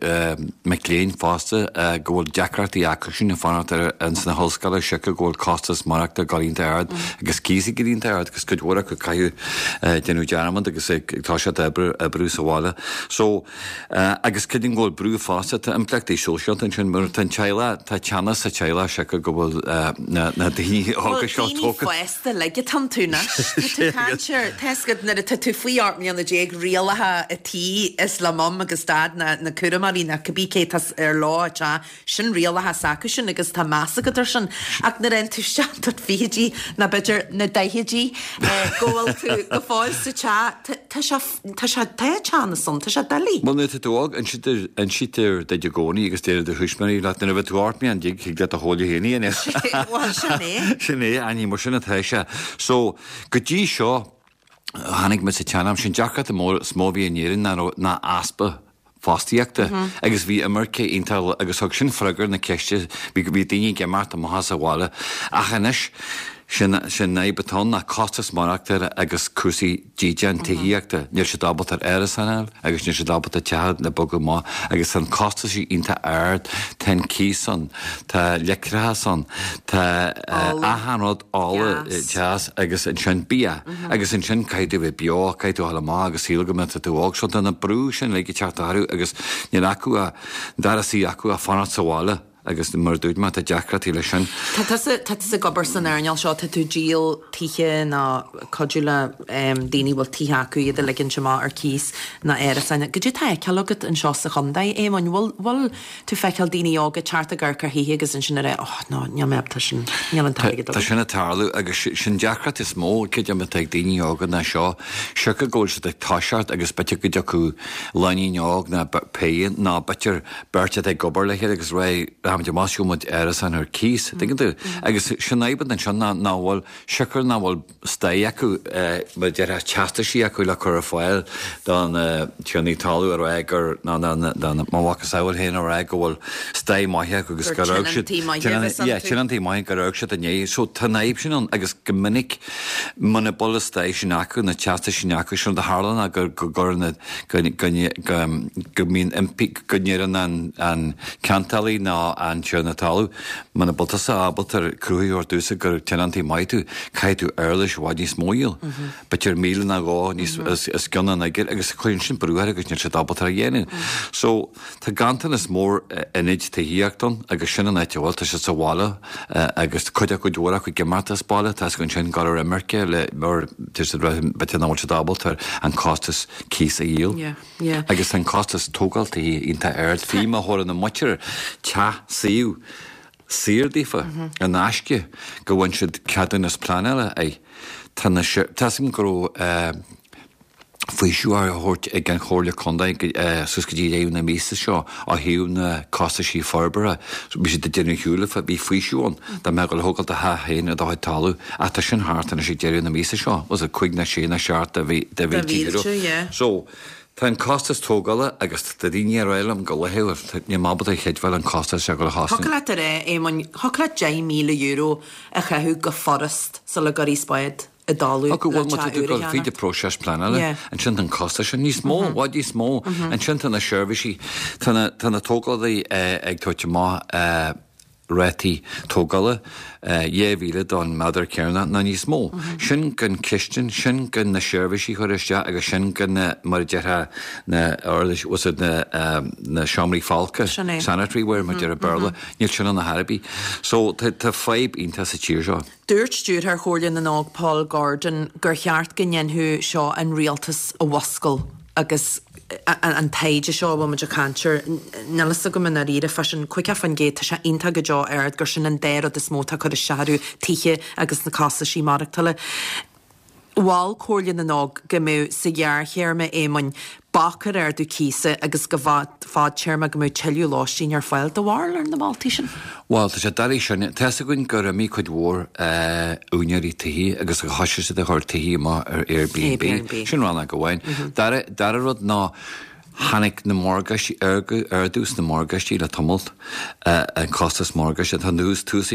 mic léinn fosta go bhfuil deacrachtaí acu sin ag fanacht ar ins na hollscoile siocair go bhfuil costas maireachtála ag dul iontach ard agus cíos ag éirí iontach ard agus cuid mhór acu ag caitheamh déanamh dearmad agus ag toiseacht oibriú oibriú sa bhaile. So, agus creidim go bhfuil brú fosta, tá impleachtaí sóisialta ansin mar tá an teaghlach, tá teannas sa teaghlach siocair go bhfuil na na daoine óga seo Bhuel, daoine tógtha. fásta uilig atá iontu anois. Tá tú ag caint ar, tá a fhios agat nuair atá tú faoi ocht mbliana déag rialacha an tí is le mum agus dad na na cúramóirí nó cibé cé tá ar lá te sin rialacha s'acu sin agus tá meas agat air sin ach nuair a théann tú isteach don fichidí nó b'fhéidir na daichidí go bhfuil tú go fóill sa teach tá sé tá sé tá teannas ann tá sé doiligh. Bhuel nuair atá tú óg insítear duit i gcónaí agus deir do thuismitheoirí leat nuair a bheidh tú ocht mbliana déag thig leat do chomhairle féin a dhéanamh. Bhuel sin é. Sin é, ní mar sin atá sé. So go dtí seo tháinig muid sa tsean-am sin deacracht is mó a bhí in Éirinn ná ná easpa fostaíochta agus bhí imirce iontach agus thug sin freagra na ceiste bhí bhí daoine ag imeacht amach as an bhaile ach anois sin sin an fhadhb atá ann ná costas maireachtála agus cúrsaí dídean tithíochta. Níl siad ábalta ar árasán a fháil agus níl siad ábalta teach le bogadh amach agus tá an costas iontach ard, tá an cíos ann, tá leictreachas ann, tá achan rud ola, teas agus ansin bia agus ansin caithfidh tú a bheith beo, caithfidh tú a dhul amach agus saol go mbeidh tú óg. So tá na brú sin uilig ag teacht orthu agus níl acu an dara suí acu ach fanacht sa bhaile. Agus mar a dúirt mé, tá deacrachtaí leis sin. Tá tusa, tá tusa ag obair san earnáil seo, tá tú ag díol tithe nó cuidiú le daoine a bhfuil tithe acu iad a ligint amach ar cíos nó árasáin. Goidé tá á fheiceáil agat anseo sa chontae, Éamoinn? Bhfuil, bhfuil tú feiceáil daoine óga teacht ag amharc ar thithe agus ansin ag rá, oh no, níl mé ábalta sin, níl an t-airgead Tá agam. sin ag tarlú agus sin deacracht is mó, creidim atá ag daoine óga ná seo, siocair go bhfuil siad ag toiseacht agus b'fhéidir go dtiocfadh lainín óg ná péire nó b'fhéidir beirt atá ag obair le chéile agus rá, rachaimid amach is gheobhaidh muid árasán ar cíos, tuigeann tú? Agus sin an fhadhb ansin ná nach bhfuil, siocair nach bhfuil staigh acu, mar a déarfá, teastaisí acu le cur ar fáil do na tiarnaí talún a rá gur, ná ná ná mo mhacasamhail féin a rá go bhfuil staigh maith acu agus Gur gur fhág siad, tionóntaí maithe a bheas yeah, iontu. tionóntaí maithe gur fhág siad inné. So tá an fhadhb sin ann agus go minic muna bhfuil an staigh sin acu, na teastais sin acu, sin rud a tharla ná gur, go gcuireann na, go, go, go, go mbíonn impí, go ndeireann an, an ceantálaí ná an tiarna talún, muna bhfuil tusa ábalta cruthú a thabhairt domhsa gur tionóntaí maith tú, caithfidh tú éarlais i bhfad níos mó a dhíol. B'fhéidir míle nó dhó níos, os, os cionn an fhigiúir agus cuireann sin brú air agus níl siad ábalta a dhéanamh. So, tá ganntanas mór ionaid tithíochta ann agus sin an áit a bhfuil, tá siad sa bhaile agus cuid acu, cuid mhór acu ag imeacht as baile, tá siad ansin ag dul ar imirce le, mar tá siad, b'fhéidir nach bhfuil siad ábalta an costas cíos a dhíol. Yeah. Yeah. Agus tá an costas tógáil tithe iontach ard, fiú má thabharann an muintir teach suíomh saor daofa in aisce go bhfaigheann siad ceadúnas pleanála air. Tá na tá 's agam go raibh faoiseamh á thabhairt ag an Chomhairle Contae suas go dtí deireadh na míosa seo ó thaobh na costaisí forbartha. Bhí siad ag déanamh shiúil bhí faoiseamh ann dá mbeadh ag thógáil do theach féin ar do chuid talamh ach tá sin thart anois ag deireadh na míosa seo. Was it cúig nó sé nó seacht de mhí de mhílte euro. So tá an costas tógála agus tá daoine ag rá liom go laethúil, níl mé ábalta a chreidbheáil an costas seo go Thiocfadh leat a rá, Éamoinn, thiocfadh leat deich míle euro a chaitheamh go furast sula gcuirfí spád i dtalamh Ó go le bhfuil má tá teach tú úr ag a dul fríd cheannacht. an próiseas pleanála, Yeah. ansin tá an costas sin níos mó, i bhfad níos mó. Ansin tá na seirbhísí, tá na, tá na tógálaí ag tabhairt amach rátaí tógála dhá mhíle don méadar cearnach nó níos mó. Sin gan cistin, sin gan na seirbhísí a chur isteach agus sin gan na, mar a déarfá, na uirlis, was it na, na seomraí folctha, Sin é. sanitary ware mar a deir an Béarla, níl sin ann ar chor ar bith. So tá, tá fadhb iontach sa tír seo. Dúirt stiúrthóir Chomhairle na nÓg Paul Gordon gur cheart go ndéanfadh seo an rialtas a mhuscail agus an taighde seo a bhfuil muid ag caint air, níl fhios agam i ndáiríre fá sin, caoga faoin gcéad, tá sé iontach go deo ard gur sin an dá rud is mó atá ag cur isteach orthu, tithe agus na costaisí maireachtála. Mhol Comhairle na nÓg go mbeadh sa ghearrthéarma Éamoinn bac ar ardú cíosa agus go fadtéarma go mbeadh tuilleadh lóistín ar fáil. Do bharúil ar na moltaí sin? Bhuel, tá sé doiligh sin. Tá fhios againn gur imigh cuid mhór úinéirí tithe agus gur thoisigh siad ag cur tithe amach ar Airbnb. Airbnb. Sin rannóg amháin. Dara, dara rud ná tháinig na morgáistí, ardú sna morgáistí le tamalt, an costas morgáiste. Tá an ús tús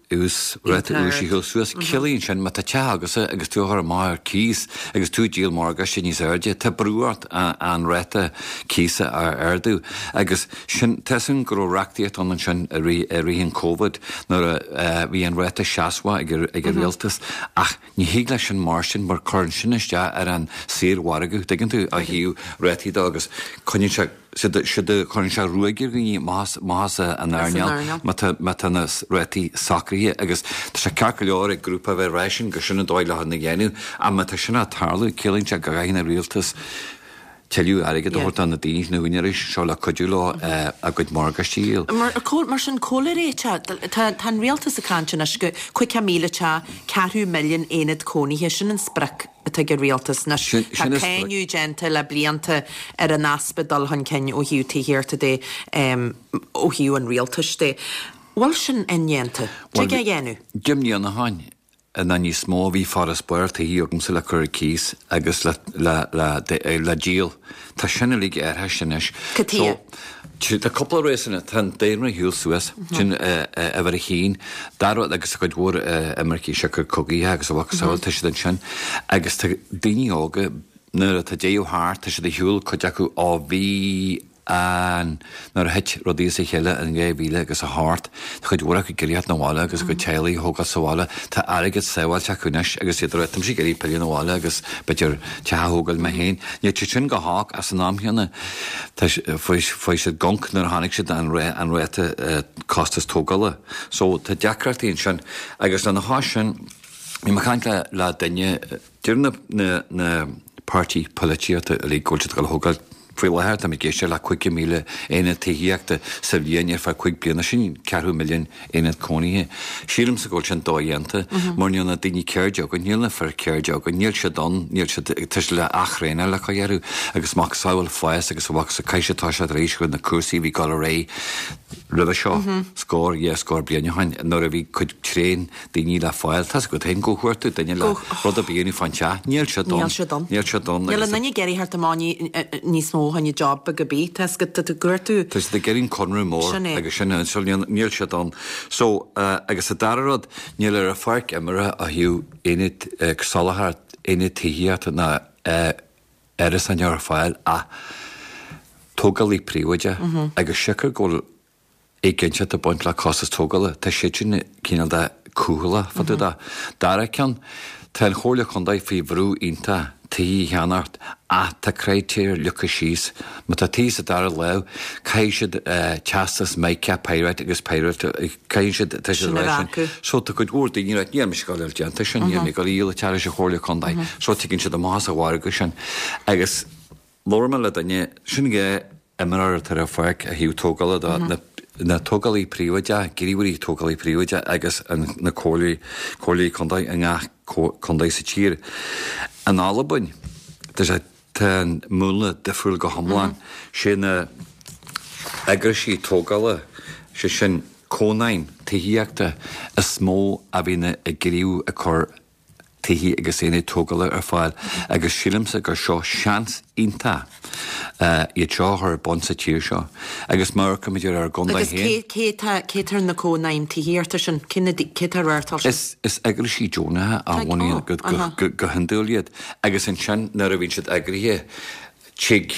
ús ráta úis ag dul suas. Ciallaíonn sin má tá teach agatsa agus tú á chur amach ar cíos agus tú ag díol morgáiste níos airde, tá brú ort an ráta cíosa a ardú. Agus sin, tá fhios againn go raibh reachtaíocht ann ansin i rith, i rith an Covid nuair a bhí an ráta seasmhach ag, ag an rialtas ach ní thig leis sin mar sin mar cuireann sin isteach ar an saormhargadh, tuigeann tú, ó thaobh rátaí de agus coinníonn sé Cuireann sé ruaig ar dhaoine amach as an earnáil má tá na rátaí socraithe agus tá sé ceart go leor ag grúpa a bheith ag rá sin gur sin an dóigh le hé a dhéanamh ach má tá sin ag tarlú ciallaíonn sé go gcaithfidh an rialtas tuilleadh airgid a thabhairt do na daoine, na húinéirí seo le cuidiú leo a gcuid morgáistí a dhíol. Mar, mar sin, cá bhfuil réiteach? Tá, tá an rialtas ag caint anois go caoga míle teach, ceathrú milliún aonad cónaithe, sin an sprioc atá ag an rialtas anois. Sin, Tá sin an sprioc. cáineadh déanta le blianta ar an easpa dul chun cinn ó thaobh tithíochta de, ó thaobh an rialtais de. Bhfuil sin indéanta? Bhuel, Tig é a dhéanamh? Deich mbliana ó shin nó níos mó bhí farasbarr tithe agamsa le cur ar cíos agus le, le, le, le díol. Tá sin uilig athraithe anois. Cad chuige? So, tá cúpla réasún, tá an daonra ag siúl suas, sin uimhir a haon, dara rud agus tá cuid mhór imircigh siocair cogaithe agus a mhacasamhail, tá siad ansin agus tá daoine óga nuair atá deireadh thart, tá siad ag siúl cuid acu ó bhí an nuair a thit rudaí as a chéile in dhá mhíle agus a hocht, tá cuid mhór acu ag iarraidh theacht 'na bhaile agus a gcuid teaghlaigh a thógáil sa bhaile. Tá airgead sábháilte acu anois agus iad ag rá, tá mise ag iarraidh pilleadh 'na bhaile agus b'fhéidir teach a thógáil mé féin. Níl siad sin go holc ach san am chéanna tá fuair siad gonc nuair a chonaic siad an an ráta costas tógála. So tá deacrachtaí ansin agus lena chois sin bhí mé ag caint le le duine, deir na na na páirtí polaitíochta uilig go bhfuil siad ag dul a thógáil faoi láthair tá mé ag éisteacht le caoga míle aonad tithíochta sa bhliain ar feadh cúig bliana, sin ceathrú milliún aonad cónaithe. Sílimse go bhfuil sin dodhéanta mar níl na daoine ceirde againn, níl na fir ceirde againn, níl siad ann, níl siad, tá siad le ath-thraenáil le cur orthu agus macasamhail fás agus a mhacasamhail caithfidh siad toiseacht arís chun na cúrsaí a bhí ag dul ar aghaidh roimhe seo, scór, dhá scór bliain ó shin nuair a bhí cuid tréan daoine le fáil. Tá's agat féin go chuir tú duine le rud ar bith a dhéanamh fán teach, níl siad ann. Níl siad ann. Níl siad ann. Níl aon duine ag iarraidh theacht amach níos mó fá choinne job beag ar bith, tá's agat, tá tú cuartú. Tá siad ag iarraidh conradh mór Sin é. agus sin é, so níl, níl siad ann. So, agus an dara rud, níl ar an pháirc imeartha ó thaobh aonad, soláthar aonad tithíochta ná árasáin ar fáil ach tógálaí príobháideach agus siocair go bhfuil éiginnteacht ag baint le costas tógála, tá siad sin cineál de cúthaileach fá dtaobh de. Dara ceann, tá an Chomhairle Chontae faoi bhrú iontach tithe a cheannacht ach tá critéir leagtha síos. Má tá tithe sa dara lámh, caithfidh siad teastas MICA Pyrite agus Pyrite, caithfidh siad, tá siad Sin a a rá bheith sin. acu. So tá cuid mhór daoine ag rá, níl mise ag dul déanta sin, níl mé ag dul a dhíol an teach leis an Chomhairle Chontae. So tigeann siad amach as an mhargadh sin. Agus labhair mé le duine, sin dhá imreoir atá ar an pháirc ó thaobh tógála de, na na tógálaí príobháideach, gníomhairí tógálaí príobháideach agus an, na comhairlí, comhairlí contae i ngach contae sa tír. In Albain, tá sé, tá an múnla difriúil go hiomlán. Sé na eagraisí tógála, sé sin cónaidhm tithíochta is mó a bhíonn ag gníomhú ag cur tithe agus aonaid tógála ar fáil agus sílimse gur seo seans iontach iad seo a chur ar bun sa tír seo. Agus má amharcaimid ar ár gcontae Agus féin. cé, cé tá, cé tá ar na cónaidhm tithíochta sin? Cé na, cé tá ar sin? Is, is eagraisí deonacha a Tá, bhunaíonn oh, go, go, aha. go, go hiondúil iad. Agus ansin nuair a bhíonn siad eagraithe, tig,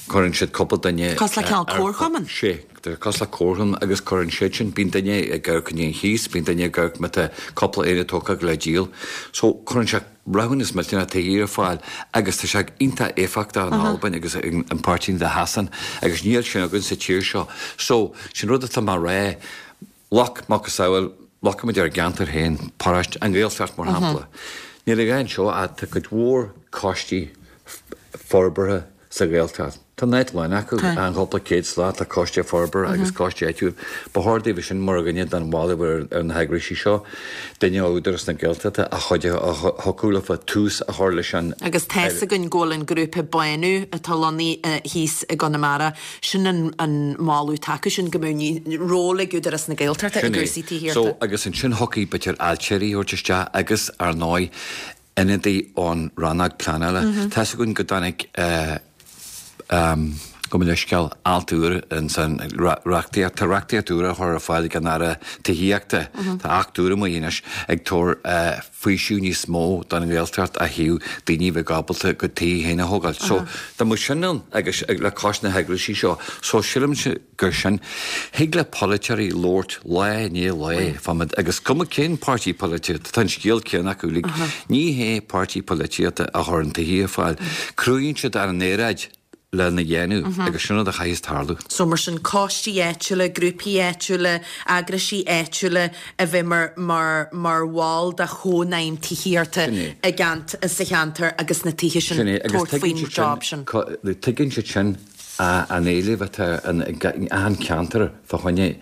cuireann siad cúpla duine Cosúil le cineál ar- comharchumann? Sé, tá cosúil le comharchumann agus cuireann siad sin, bíonn duine ag amharc i ndiaidh an chíos, bíonn duine ag amharc má tá cúpla aonad tógtha le díol. So cuireann sé roghanna millteanach tithe ar fáil agus tá sé iontach éifeachtach in Albain agus in, in páirteanna de Shasain agus níl sin againn sa tír seo. So sin rud atá mar rá, look macasamhail, amharcaimid ar an gceantar féin, paráiste, an Ghaeltacht mar shampla. Níl a dhath anseo ach tá cuid mhór coistí forbartha sa Ghaeltacht. Tá náid lán acu an chúpla céad slat tá coiste forbartha agus coiste áitiúil. Ba chóir daoibh sin mar dhuine den bhaile ar ar na heagraisí seo, duine ó Údarás na Gaeltachta a chuid a thiocfadh leofa tús a chur leis an Agus tá's againn go bhfuil an grúpa Bánú atá lonnaithe thíos i gConamara, sin an, an moladh atá acu sin go mbeadh ról ag Údarás na Gaeltachta i Sin é. gcúrsaí tithíochta. So agus ansin thiocfadh b'fhéidir ailtirí a thabhairt isteach agus ar ndóigh ionadaí ón rannóg pleanála. Tá's againn go dtáinig um, gabh mo leithscéal alt úr in san reachtaíocht, tá reachtaíocht úr a chur ar fáil ag an Aire Tithíochta. Tá acht úr amuigh anois ag tabhairt uh, faoiseamh níos mó don Ghaeltacht ó thaobh daoine bheith ábalta go tí féin a thógáil. So tá mu sin ann agus le cois na heagraisí seo, so sílimse gur sin thig le polaiteoirí labhairt lá i ndiaidh lae fámad agus cuma cén páirtí polaitíochta, tá an scéal céanna acu uilig. Ní hé páirtí polaitíochta a chuireann tithe ar fáil. Cruthaíonn siad ar an aeráid lena dhéanamh agus sin rud a chaithfeas tarlú. So mar sin coistí áitiúla, grúpaí áitiúla, eagraisí áitiúla a bheith mar mar mar bhall de chónaidhm tithíochta i gceant sa cheantar agus na tithe sin tabhairt faoin job sin. Tuigeann siad sin an éileamh atá in achan ceantar fá choinne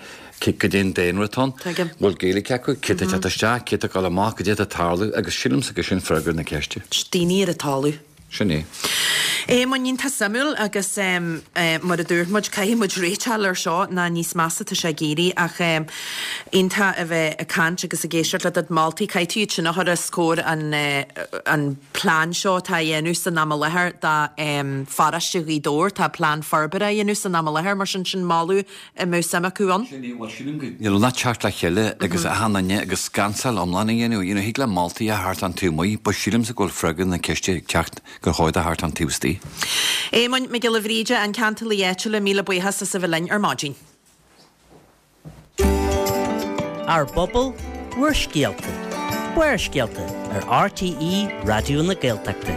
goidé an daonra atá ann. Bhfuil Gaeilge acu, cé atá ag teacht isteach, cé atá ag dul amach, goidé atá ag tarlú agus sílimse gur sin freagra na ceiste. Daoine ar an talamh. Sin é. Éamoinn, iontach suimiúil agus mar a dúirt muid, caithfidh muid réiteáil ar seo ná níos measa tá sé ag éirí ach iontach a bheith ag caint agus ag éisteacht le do mholtaí. Caithfidh tú iad sin a chur os comhair an an plean seo atá á dhéanamh san am i láthair do pharóiste Ghaoth Dobhair. Tá plean forbartha á dhéanamh san am i láthair mar sin sin moladh a mbeadh suim acu ann. Sin é, bhuel sílim go, you know, ná teacht le chéile agus achan duine agus scansáil iomlán a dhéanamh, you know, thig le moltaí a theacht ón taobh amuigh, but sílimse go bhfuil freagra na ceiste ag teacht gur chóir do theacht ón taobh istigh. Éamoinn Mac Giolla Bhríde, an Ceantálaí Áitiúla, míle buíochas as a bheith linn ar maidin. Ár bPobal, bhur scéalta. Barrscéalta ar RTÉ Raidió na Gaeltachta.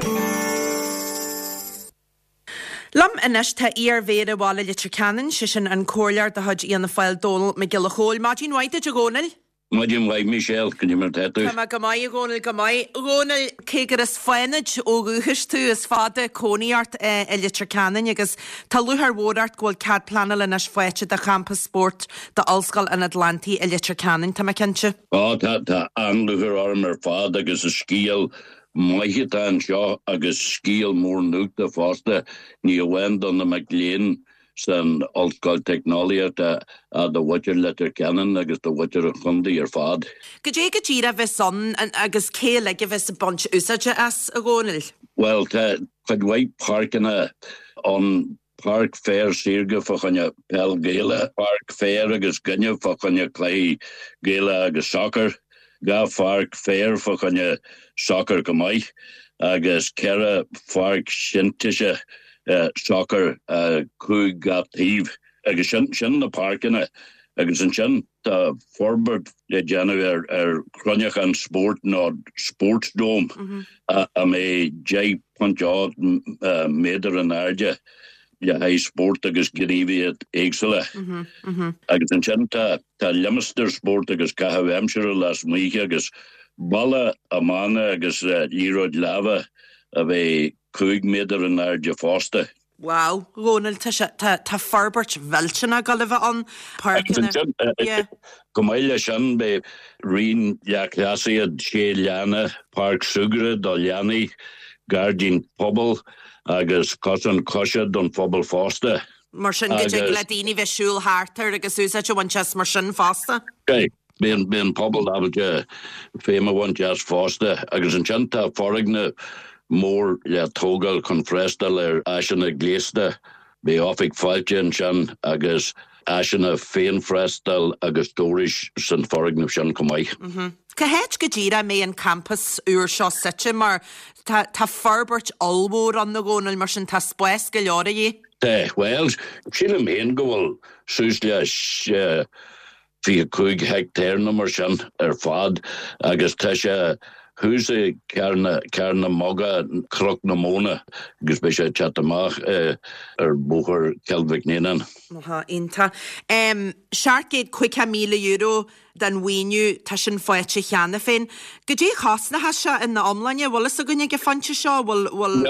Liom anois tá iar-mhéara Bhaile Leitir Ceanainn, sé sin an comhairleoir de chuid Fhianna Fáil Dónall Mac Giolla Chóill. Maidin mhaith duit a Dhónaill. Maidin mhaith Michelle, goidé mar tá tú? Tá mé go maith a Dhónaill, go maith. A Dhónaill, cé gur as Fánaid ó dhúchas tú, is fada cónaí ort i Leitir Ceanainn agus tá lúcháir mhór ort go bhfuil cead pleanála anois faighte do champas spóirt d'Ollscoil an Atlantaigh i Leitir Ceanainn, tá mé cinnte. Á, tá, tá an-lúcháir orm ar fad agus is scéal maith atá anseo agus scéal mór nuachta fosta, ní amháin do na mic léinn san Ollscoil Teicneolaíochta ach do mhuintir Leitir Ceanainn agus do mhuintir an chontae ar fad. Goidé go díreach a bheas ann agus cé uilig a bheas ag baint úsáide as, a Dhónaill? Bhuel, tá cuid mhaith páirceanna ann, páirc féir saorga fá choinne peil Gaelach, páirc féir agus gaineamh fá choinne cluichí Gaelach agus sacar, dhá pháirc féir fá choinne sacar chomh maith agus ceithre pháirc sintéiseach sacair, cúig gach taobh. Agus sin, sin na páirceanna. Agus ansin tá forbairt le déanamh ar, ar chruinneachán spóirt nó sports dome a, a mbeidh deich ponc ocht méadar in airde le haghaidh spórt agus gníomhaíocht éagsúla. Agus ansin tá, tá limistéar spóirt agus caitheamh aimsire lasmuigh agus balla iomána agus liathróid láimhe a bheidh cúig méadar in airde fosta. Wow, a Dhónaill, tá sé, tá, tá forbairt mhillteanach ag dul a bheith ann, Agus páirceanna, ansin, yeah. chomh maith leis sin, beidh raon leathchleasaithe, sé leanna, páirc súgartha do leanaí, gairdín pobail agus cosán coise don phobal fosta. Mar sin go dtig le daoine bheith ag siúl thart air agus úsáid a bhaint as mar sin fosta. Beidh beidh an pobal ábalta feidhm a bhaint as fosta agus ansin tá foirgneamh mór le tógáil chun freastal ar áiseanna gléasta. Beidh oifig fáilte ansin agus áiseanna féinfhreastail agus stórais san foirgneamh sin chomh maith. Cá háit go díreach a mbeidh an campas úr seo suite mar tá tá forbairt ollmhór ann a Dhónaill mar sin tá spás go leor a dhíth? Tá, bhuel, sílim féin go bhfuil suas le fiche cúig heicteár nó mar sin ar fad agus tá sé thuas i Carn na Muga, Cnoc na Móna agus beidh sé ag teacht amach ar Bhóthar Chill Mhic Néanáin. Aha, iontach. Seacht gcéad caoga míle euro den mhaoiniú, tá sin faighte cheana féin. Goidé a chosnóchas sé ina iomláine? Bhfuil fhios againn ag an phointe seo? Bhfuil, bhfuil.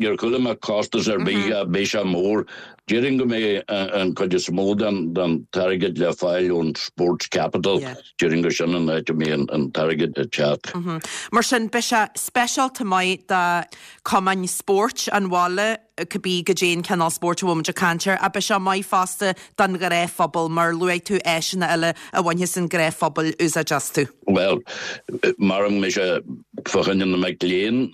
Níor chuala mé costas ar bith, beidh sé mór. Déarfainn go mbeidh an chuid is mó den t-airgead le fáil ón Sports Capital. Déarfainn gur sin an áit a mbeidh an t-airgead ag teacht. Mar sin, beidh sé speisialta maith do chumainn spóirt an bhaile, cibé goidé an cineál spóirt a bhfuil muid ag caint air, ach beidh sé maith fosta don ghnáthphobal, mar luaigh tú áiseanna eile a bhainfeas an gnáthphobal úsáid astu. Bhuel, mar go mbeidh sé fá choinne na mic léinn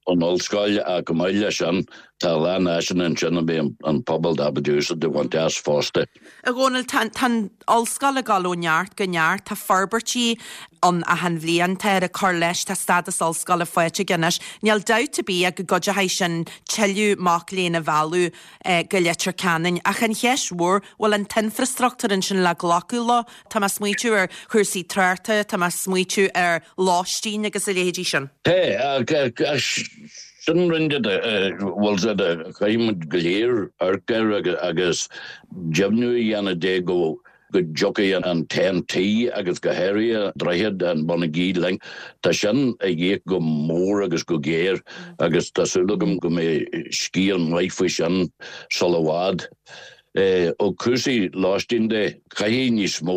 ón ollscoil ach chomh maith leis sin, Tá a lán áiseanna ansin a mbeidh an pobal ábalta úsáid a bhaint as fosta. A Dhónaill, tá an ollscoil ag dul ó neart go neart, tá forbairtí ann achan bhliain, táthar ag cur leis, tá stádas ollscoile faighte aige anois. Níl dabht ar bith ach go gcuideochaidh sin tuilleadh mac léinn a mhealladh go Leitir Ceanainn. Ach an cheist mhór, bhfuil an t-infreastruchtúr ansin le glacadh leo? Tá mé ag smaoitiú ar chúrsaí tráchta, tá mé ag smaoitiú ar lóistín agus a leithéidí sin. Tá, Sin rud bhfuil a fhios agat a chaithfidh muid go léir amharc air agus deimhniú a dhéanamh de go go dtiocfaidh an Ten T agus go háirithe droichead an Bonagee Link. Tá sin a dhíth go mór agus go géar agus tá súil agam go mbeidh scéal maith faoi sin sula i bhfad. Ó cúrsaí lóistín de, caithfidh níos mó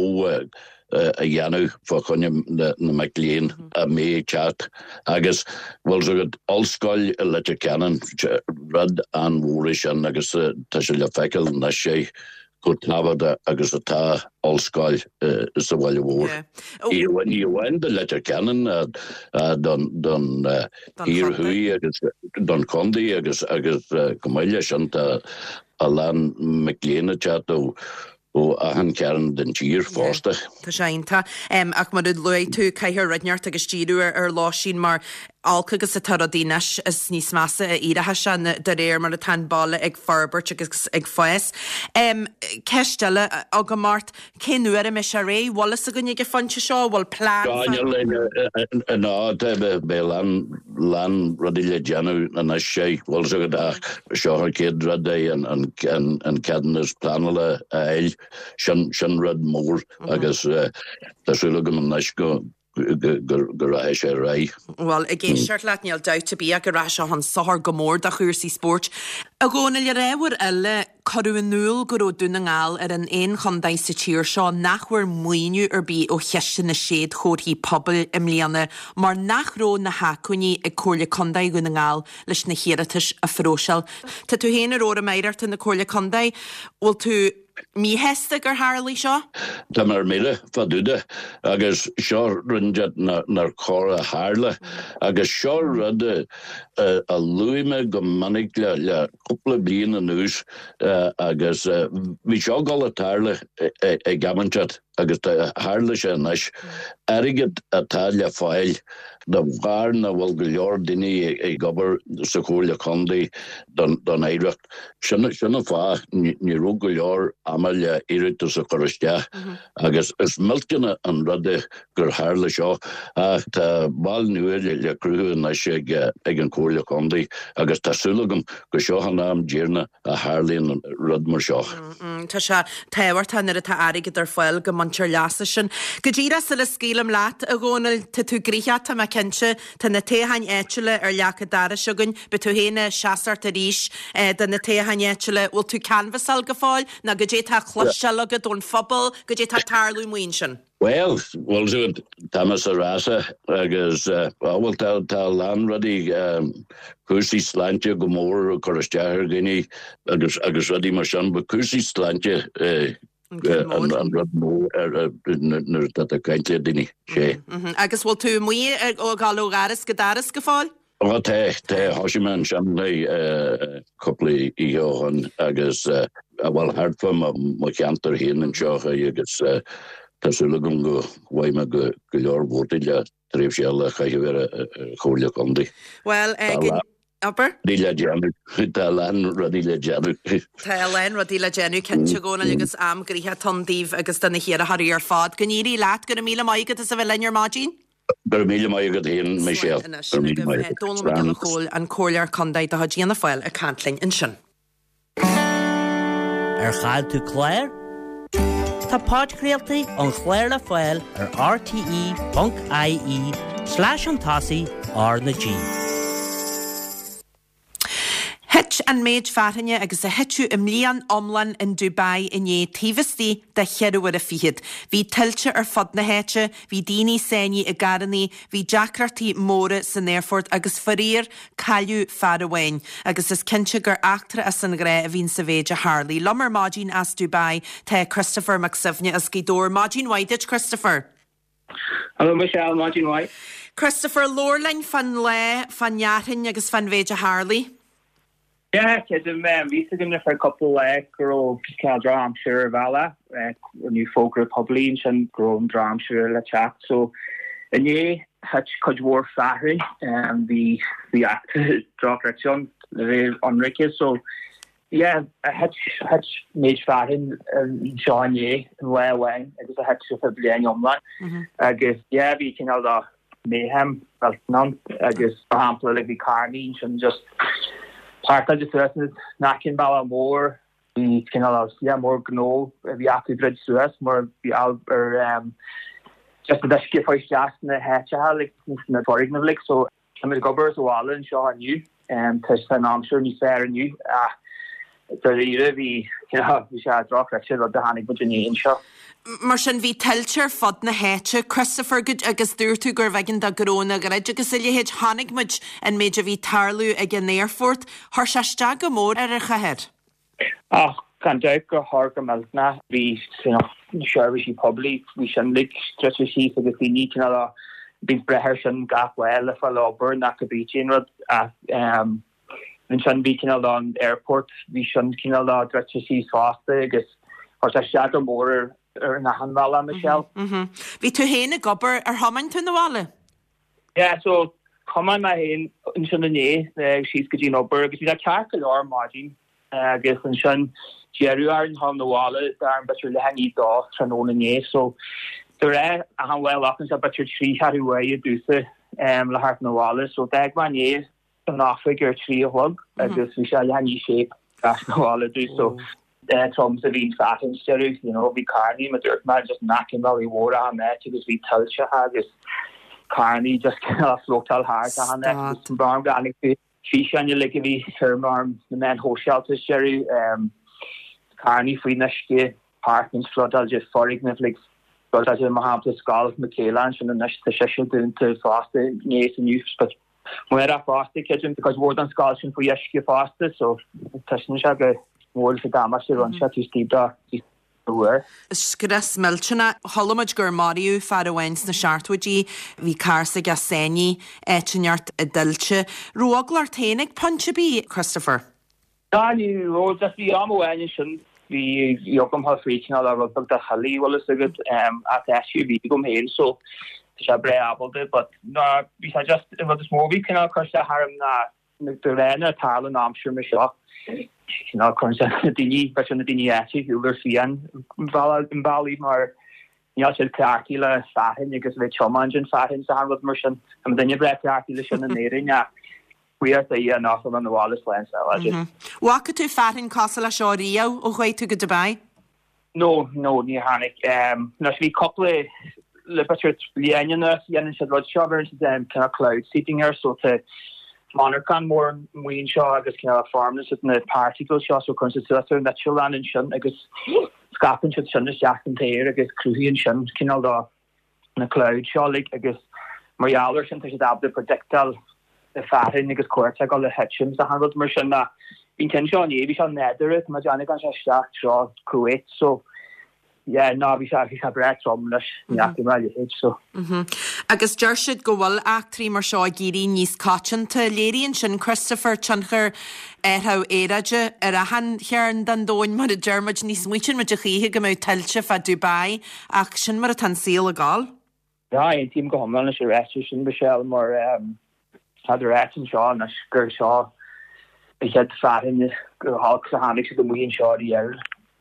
a dhéanamh fá choinne na mic léinn a mbeidh ag teacht agus bhfuil a fhios agat ollscoil i Leitir Ceanainn, rud an-mhór é sin agus tá sé le feiceáil anois é chomh tábhachtach agus atá ollscoil sa bhaile mhór. Ní amháin do Leitir Ceanainn don don thiar thuaidh agus don chontae agus agus chomh maith leis sin tá a lán mic léinn ag teacht ó ó achan chearn den tír fosta. Tá sé iontach. Ach mar a luaigh tú, caithfear rud inteacht agus díriú ar lóistín mar olc agus atá rudaí anois is níos measa a éireoidh sé de réir mar atá an baile ag forbairt agus ag fás. Ceist eile agam ort, cén uair a mbeidh sé réidh? Bhfuil fhios againn ag an phointe seo? Bhfuil plean fá? Ná, beidh a lán lán rudaí le déanamh anois, bhfuil a fhios agat ach seo an chéad rud é an ceadúnas pleanála a fháil. Sin sin rud mór agus tá súil agam anois go go rachaidh sé ar aghaidh. Bhuel, ag éisteacht leat, níl dabht ar bith ach go rachaidh sé chun sochair go mór do chúrsaí spóirt. A Dhónaill, ar ábhar eile, cuireadh in iúl go raibh Dún na nGall ar an aon chontae sa tír seo nach bhfuair maoiniú ar bith ó Chiste na Séadchomharthaí Pobail i mbliana mar nach raibh na hacmhainní ag Comhairle Contae Dhún na Ngall leis na hiarratais a phróiseáil. Tá tú féin ar Fhóram Oidhreachta na Comhairle Contae. Bhfuil tú míshásta gur tharlaigh seo? Tá mé ar mire fá dtaobh de agus seo rud nár chóir a tharla agus seo rud a luaigh mé go minic le cúpla bliain anuas agus bhí seo ag dul a tarlú ag am inteacht agus tharla sé anois. Airgead atá le fáil de bharr nach bhfuil go leor daoine ag obair sa Chomhairle Contae don Oidhreacht. Sin an fáth ní raibh go leor ama le iarratas a chur isteach agus is millteanach an rud é gur tharla seo ach tá bail nua le cruthú anois ag an Chomhairle Contae agus tá súil agam go seo an am deireanach a tharlaíonn rud mar seo. Tá sé tábhachtach nuair atá airgead ar fáil go mbaintear leas as sin. Go díreach sula scaoilim leat, a Dhónaill, tá tú gnoitheach, tá mé cinnte. Tá na toghcháin áitiúla ar leac an dorais againn. Beidh tú féin ag seasacht arís do na toghcháin áitiúla. Bhfuil tú ag canbhasáil go fóill nó goidé tá á chloisteáil agat ón phobal, goidé tá ag tarlú amuigh ansin? Bhuel, bhfuil a fhios agat, tá mé sa rása agus, bhuel, tá tá a lán rudaí, cúrsaí sláinte go mór ag cur isteach ar dhaoine agus agus rudaí mar sin, but cúrsaí sláinte an rud mór nuair atá tú ag caint le daoine, sé. Agus bhfuil tú amuigh ag dul ó dhoras go doras go fóill? Ó tá, tá, thosaigh mé ansin cúpla oíche ó shin agus bhuel thart fá mo cheantar féin anseo agus tá súil agam go bhfaighidh mé go leor vótaí le tréimhse eile a chaitheamh ar an Chomhairle Contae. Bhuel, abair? Rudaí le déanamh, tá a lán rudaí le déanamh. Tá a lán rudaí le déanamh, cinnte, a Dhónaill, agus am gnoitheach ann daoibh agus do na hiarrthóirí ar fad. Go n-éirí leat, go raibh míle maith agat as a bheith linn ar maidin. Go raibh míle maith agat féin, Michelle. Slán anois agaibh. Dónall Mac Giolla Chóill, an Comhairleoir Contae de chuid Fhianna Fáil ag caint linn ansin. Ar chaill tú clár? Tá podchraoltaí an chláir le fáil ar rte.ie slash an tosaigh R na G. Thit an méid fearthainne agus a thiteadh i mbliain iomlán in Dubai inné taobh istigh de cheithre huaire fichead. Bhí tuilte ar fud na háite, bhí daoine sáinnithe i gcarrannaí, bhí deacrachtaí móra san aerfort agus faraor, cailleadh fear amháin. Agus is cinnte gur eachtra as an ghnáth a bhíonn sa mhéid a tharlaigh. Liom ar maidin as Dubai tá Christopher Mac Suibhne as Gaoth Dobhair. Maidin mhaith duit, Christopher. Hello Michelle, maidin mhaith. Christopher, labhair linn fán lá, fán fhearthainn agus fán mhéid a tharlaigh. Yeah, creidim, bhí a fhios againn le feadh cúpla lá go raibh cineál drochaimsir ar an bhealach, rinneadh fógra poiblí ansin go raibh an drochaimsir le teacht. So inné thit cuid mhór fearthainn, bhí bhí eachtra dochreidte ann le bheith ionraice. So yeah, thit thit méid fearthainn anseo inné, in lá amháin agus a thit ar feadh bliain iomlán. Agus yeah, bhí cineál de mayhem ann agus mar shampla like bhí carrannaí ansin just páirceáilte suas in aice an bealach mór bhí cineál yeah mór gnó a bhí acu druid suas mar bhí ar um, just an uisce fáil isteach sna háiteacha like sna foirgnimh like so tá muid ag obair sa bhaile anseo inniu um, tá an aimsir níos fearr inniu ach dáiríre bhí bhí sé drochráite rud a tháinig muid inné anseo. Mar sin bhí tuilte ar fud na háite, Christopher agus dúirt tú gurbh éigean do gnónna druid agus a leithéid chonaic muid an méid a bhí tarlú ag an aerfort, chuir sé isteach go mór ar an chathair. Ach gan dabht gur chuir go millteanach bhí seirbhísí poiblí bhí sin like druidte síos agus daoine cineál bhí brath air sin gach lá le fáil obair nach go bí aon rud ach um, ansin bhí cineál an airport bhí sin cineál druidte síos fosta agus chuir sé isteach go mór ar ar an achan bhealach Michelle. Mhm. Bhí tú féin ag obair ar thiomáin tú 'na bhaile? Yeah, so thiomáin mé féin ansin inné síos go dtí an obair agus bhí sé ceart go leor maidin agus ansin deireadh ar an hall na bhaile dar an b'fhéidir leath i ndiaidh a dó tráthnóna inné so de réir a han bhfuil ach an b'fhéidir trí cheathrú uaire domhsa um, le theacht 'na bhaile so d'fhág mé inné an oifig ar trí a chlog agus bhí sé leath i ndiaidh sé as 'na bhaile domh so trom a bhí fearthainn deireadh you know bhí carrannaí mar dúirt mé just in aice an bhealaigh mhóir an áit agus bhí tuilte agus carrannaí just floatáil thart an áit bar gan físeáin like a bhí ar mar na meáin shóisialta deireadh um, carrannaí faoin uisce apartments floodáilte foirgnimh like floodáilte mar shampla scoil Michaela sin anois tá sé dúnta fosta inné is inniu but Muir fosta creidim because mhór an scoil sin faoi uisce fosta so tá sin sé go mór sa damáiste rinne sé tú stíb uair. Scrios millteanach chuala muid gur maraíodh fear amháin sna seachtóidí, bhí carr s'aige sáinnithe áit inteacht i dtuilte. Raibh eagla ort féin ag pointe ar bith, Christopher? Ná ní raibh just bhí am amháin sin bhí bhí agam thá faoi cineál rud beag de chillí bhfuil fhios agat um, at SUV agam féin so tá sé breá ábalta but ná bhí sé just an rud is mó bhí cineál cur sé tharm ná de réir na tarla an aimsir mar seo cineál cuireann sé na daoine b'fhéidir na daoine áite shiúl ar fian an bealaí mar níl siad cleachtaithe le fearthainn agus bheith tiomáint an fearthainn sa rud mar sin Tá duine breá cleachtaithe le sin in Éirinn ach buíochas le Dia nach bhfuil an bhaile slán sábháilte. Bhfaca tú fearthainn cosúil leis seo riamh ó chuaigh tú go Dubai? No, no, ní tháinig. Um, Anois bhí cúpla le b'fhéidir bliain anuas dhéanann siad rud seo bheireann siad um, kind of cloud seeding air so tá monarchan mór amuigh anseo agus kind of farmann siad na particles seo so cuireann siad suas ar an eitleán ansin agus scaipeann siad sin isteach an t-aer agus cruthaíonn sin cineál do na cloud seo like, agus mar gheall air sin tá siad ábalta predictáil na fearthainn agus cá huair atá le titim sa rud mar sin na bhí ceann seo inné bhí sé nádúrtha má déanamh gan sé isteach treo Kuwait so yeah ná bhí sé bhí sé breá trom leis ní fhaca mé a leithéid so. Mhm. Agus deir siad go bhfuil eachtraí mar seo ag éirí níos coitianta. Léiríonn sin Christopher tionchar athrú aeráide ar achan chearn den domhan mar a deir muid ní smaoitíonn muid a choíche go mbeadh tuilte fá Dubai ach sin mar atá an saol ag gabháil. Ja, aontaím go hiomlán leis an ráiteas sin Michelle mar um, tá ráit anseo anois gur seo an chéad fearthainn go holc a tháinig siad amuigh anseo ariamh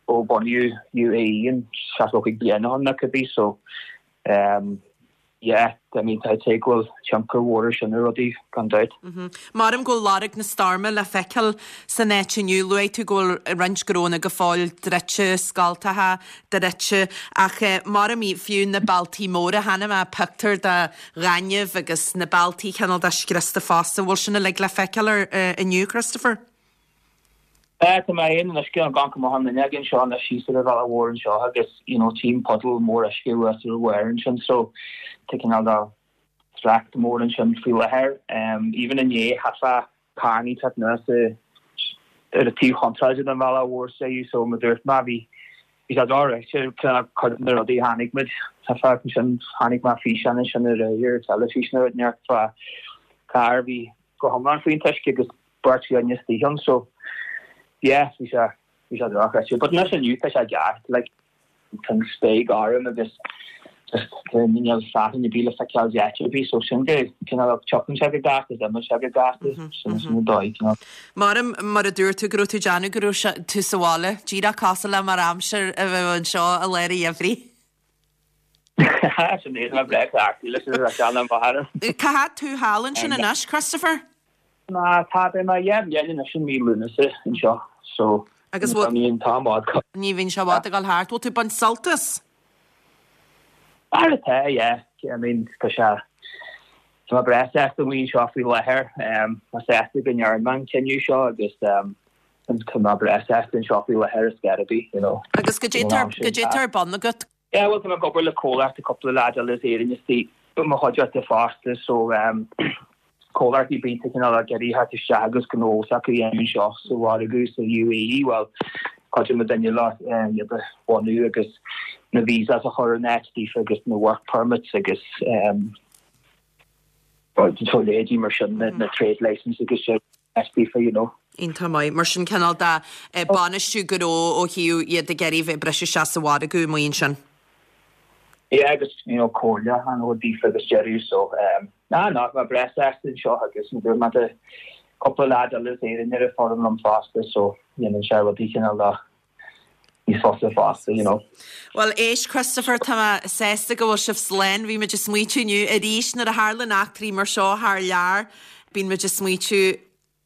ó bunaíodh UAE an seachtó cúig bliain ó shin nó cibé so um, yeah, I mean tá sé go bhfuil tionchar mhór sin ar rudaí gan dabht. Maram go bhfuil lorg na stoirme le feiceáil san áit inniu luaigh tú go bhfuil roinnt gnónna go fóill druidte scoltacha druidte ach eh, maram í fiú na bealtaí móra chonaic mé pictiúr de ghaineamh agus na bealtaí cineál de scriosta fosta bhfuil sin uilig le feiceáil ar uh, inniu Christopher? Eh, tá mé féin anois gan gan go maith an duine againn seo na síos ar an bhealach mhór anseo agus you know, tím puddle mór uisce thuas ar bharr ansin so tá cineál de trácht mór ansin faoi láthair. Um, even inné chaithfeá carrannaí teacht anuas ar an taobh chontráilte den bhealach mhór sé so mar dúirt mé bhí bhí sé dochreidte cuid de na rudaí a chonaic muid tá sin chonaic mé físeán sin ar ar teilifís nó neart fá carr bhí go hiomlán faoin uisce agus beirt dhuine istigh ann so yeah bhí sé bhí sé dochreidte but anois inniu tá sé ceart like tá an spéir gorm agus just níl fearthainn ar bith le feiceáil áit ar bith so sin go cineál tiocfaidh sé go gasta is imeoidh sé go gasta sin sin an dóigh cineál. Maram mar a dúirt tú go raibh tú ag déanamh go raibh sé- tú sa bhaile, díreach cosúil le mar aimsir a bheith anseo i lár an gheimhridh. Sin é mé breá leis an bhar. Cá fhad tú thall ansin anois, Christopher? Ná tá mé dheich mbliana anois i mí Lúnasa anseo so Agus bhfuil- ní an t-am bhfad Ní bhíonn sé i bhfad ag dul thart. Bhfuil tú ag baint sult as? Mar atá, yeah. I mean, tá sé tá mé breá sásta amuigh anseo faoi láthair. Um, tá sásta go ndearna mé an cinneadh seo agus um, tá mé breá sásta anseo faoi láthair is gotta be, you know. Agus goidé tá goidé tá ar bun agat? Yeah, well, tá mé ag obair le comhlacht cúpla leaid eile as Éirinn istigh mo chuideachta fosta so um, comhlachtaí bíonn cineál ag iarraidh theacht isteach agus gnó s'acu a dhéanamh anseo sa mhargadh sa UAE, well, cuidíonn muid duine le um, iad a bhunú agus na visas a chur in áit daofa agus na work permits agus um, so leithéidí mar sin na, na trade license agus sin áit daofa, you know. Iontach maith. Mar sin cineál de eh, bainistiú gnó ó thaobh iad ag iarraidh bheith ag briseadh isteach sa mhargadh amuigh ansin. Yeah, agus you know comhairle an ó daofa agus deireadh so um, ná ná mé breá sásta anseo agus dúirt mé de cúpla leaid eile as Éirinn ar an foireann liom fosta so dhéanann sé rudaí cineál de níos fusa fosta, you know. Well éist Christopher tá mé sásta go bhfuil sibh slán, bhí muid ag smaoitiú inniu arís nuair a tharlaíonn eachtraí mar seo thar lear, bíonn muid ag smaoitiú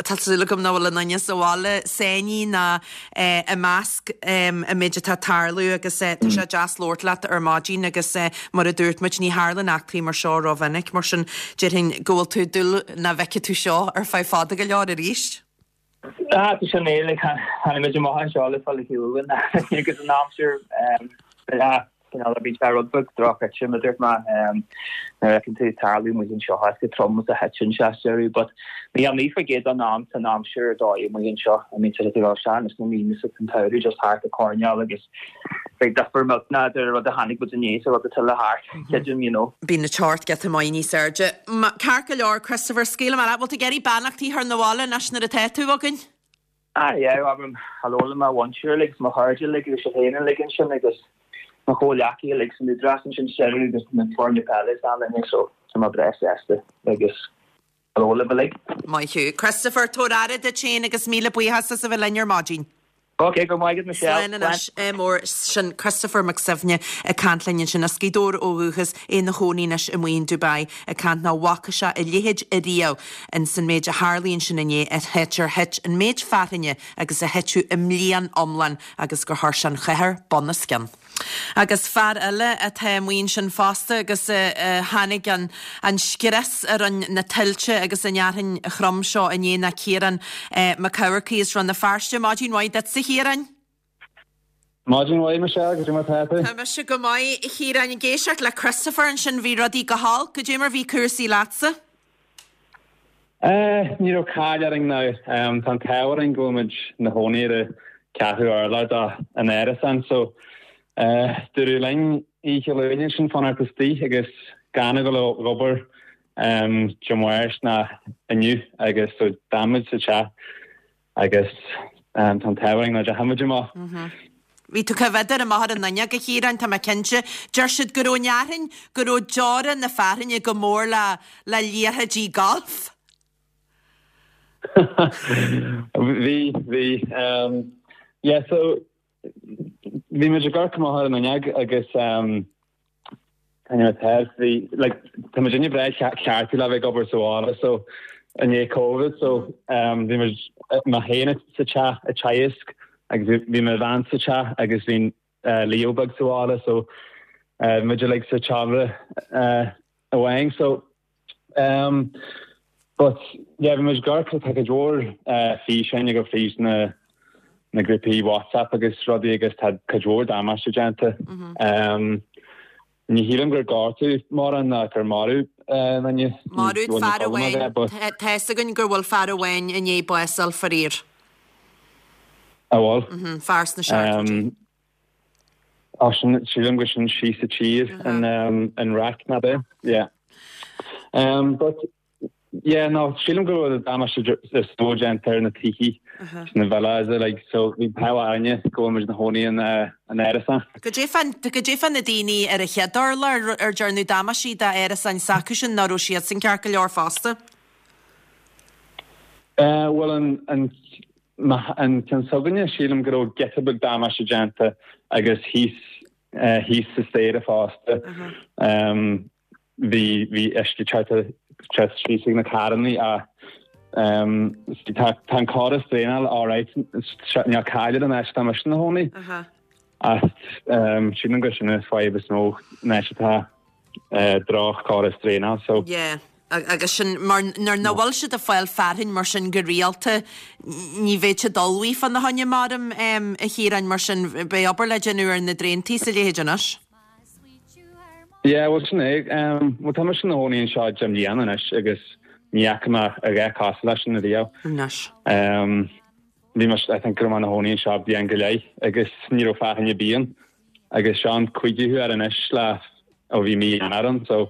tá súil agam nach bhfuil aon duine sa bhaile sáinnithe ná eh, i measc um, an méid atá ag tarlú agus eh, tá sé deas labhairt leat ar maidin agus eh, mar a dúirt muid ní tharlaíonn eachtraí mar seo rómhinic mar sin déarfainn go bhfuil tú ag dúil nach bhfeicfidh tú seo ar feadh fada go leor arís. Ah, tá sin é like tháinig muid amach anseo le fáil shiúil agus an aimsir um, ah, cineál bhí sé rud beag drochite mar dúirt mé um, nuair a fheiceann tú tarlú amuigh anseo is go trom is a thiteann sé deireadh, but ní an naoi faoin gcéad den am tá an aimsir ar dóigh amuigh anseo. I mean, tá sé sean is na míonna sa an tsamhradh just thart ag coirneáil agus beidh difear millteanach idir rud a tháinig muid inné is an rud atá le theacht, creidim, you know. Bíonn na teocht giota maith níos airde. Ma- Ceart go leor Christopher scaoilfidh mé leat, bhfuil tú ag iarraidh beannachtaí a chur 'na bhaile anois nuair atá tú againn? Ah, yeah, abraim hello le mo mhuintir uilig, mo chairde uilig agus sibh féin uilig ansin agus mo chomhghleacaithe uilig san Údarás ansin deireadh agus na foirne peile is ann so tá mé breá sásta agus hello libh uilig. Maith thú. Christopher tabhair aire duit féin agus míle buíochas as a bheith linn ar maidin. Ok, go maith Michelle. Slán anois eh, mór sin Christopher Mac Suibhne ag caint linn ansin as Gaoth Dobhair ó dhúchas é ina chónaí anois amuigh in Dubai ag caint nach bhfaca sé a leithéid ariamh in san méid a tharla ansin inné a thit ar thit an méid fearthainne agus a thiteadh i mbliain iomlán agus gur chuir sé an chathair bunoscionn. Agus fear eile atá amuigh ansin fosta agus uh, uh, tháinig an, an scrios ar an na tuilte agus an fhearthainn throm seo inné ná Ciarán uh, Mac Eachmharcaigh as Rann na Feirste Maidin mhaith duitse a Chiaráin. Maidin mhaith Michelle goidé mar tá tú? Tá mise go maith a Chiaráin ag éisteacht le Christopher ansin bhí rudaí go holc, goidé mar bhí cúrsaí leatsa? Eh, ní raibh caill orainn ná um, tá an t-ádh orainn go bhfuil muid na chónaí ar an ceathrú urlár de an árasán so eh, dúradh linn oíche Luain sin fanacht istigh agus gan a dhul ag obair um, Dé Máirt ná inniu agus so d'fhan muid sa teach agus um, tá an t-ádh orainn nach ndeachaigh muid amach. Bhí tú coimhéadar amach ar an fhuinneog a Chiaráin tá mé cinnte, deir siad go raibh an fhearthainn go raibh deora na fearthainne go mór le le liathróidí golf. Bhí bhí um, yeah, so bhí muid ag amharc amach ar an fhuinneog agus um, bhí like tá muid inne breá ceartú le bheith ag obair sa bhaile so i ndiaidh COVID so um, bhí muid mé féin sa teach ag teagasc agus bhí mo bhean sa teach agus bhí uh, Leo beag sa bhaile so uh, muid like sa tseomra uh, amháin so um, but yeah bhí muid gar tá go leor uh, físeáin go fríd na na grúpaí WhatsApp agus rudaí agus tá cuid mhór damáiste déanta. Um, ní shílim gur gortaíodh mórán ná gur maraíodh duine Maraíodh fear amháin tá a fhios againn gur bhfuil fear amháin i ndiaidh bás a fháil faraor. A bhfuil? Fear sna seachtóidí. Um, sin sílim go sin sí sa tír an um, an rac na be. Yeah. Um, but yeah, no, sílim go bhfuil damáiste is mó déanta ar na tithe na villas like so bhí power aine go bhfuil muid na chónaí an an árasán. Goidé fá goidé fá na daoine ar an chéad urlár ar dearnadh damáistí d'árasáin s'acusan nach raibh siad san ceart go leor fosta? Uh, well an an an ceann s'againne sílim go raibh giota beag damáiste déanta agus thíos Thíos sa staighre fosta. Bhí bhí uisce teacht teacht síos ag na carrannaí ach tá tá an córas draenála alright níl caill an áit atá mise ina chónaí. Ach sílim gur sin an fadhb is mó an áit atá droch-chóras draenála so. Yeah. Agus sin mar nuair nach bhfuil siad ag fáil fearthainn mar sin go rialta ní bheidh siad ullmhaithe fána choinne maram a Chiaráin mar sin beidh obair le déanamh ar na draontaí is a leithéid anois. Yeah, bhuel sin é. Bhuel tá mise ina chónaí anseo deich mbliana anois agus ní fhaca mé a dhath cosúil leis sin ariamh. Anois. Bhí mé, I think go raibh mé ina chónaí anseo bliain go leith agus ní raibh fearthainn ar bith ann agus seo an cúigiú huair anois le ó bhí mí Eanáir ann so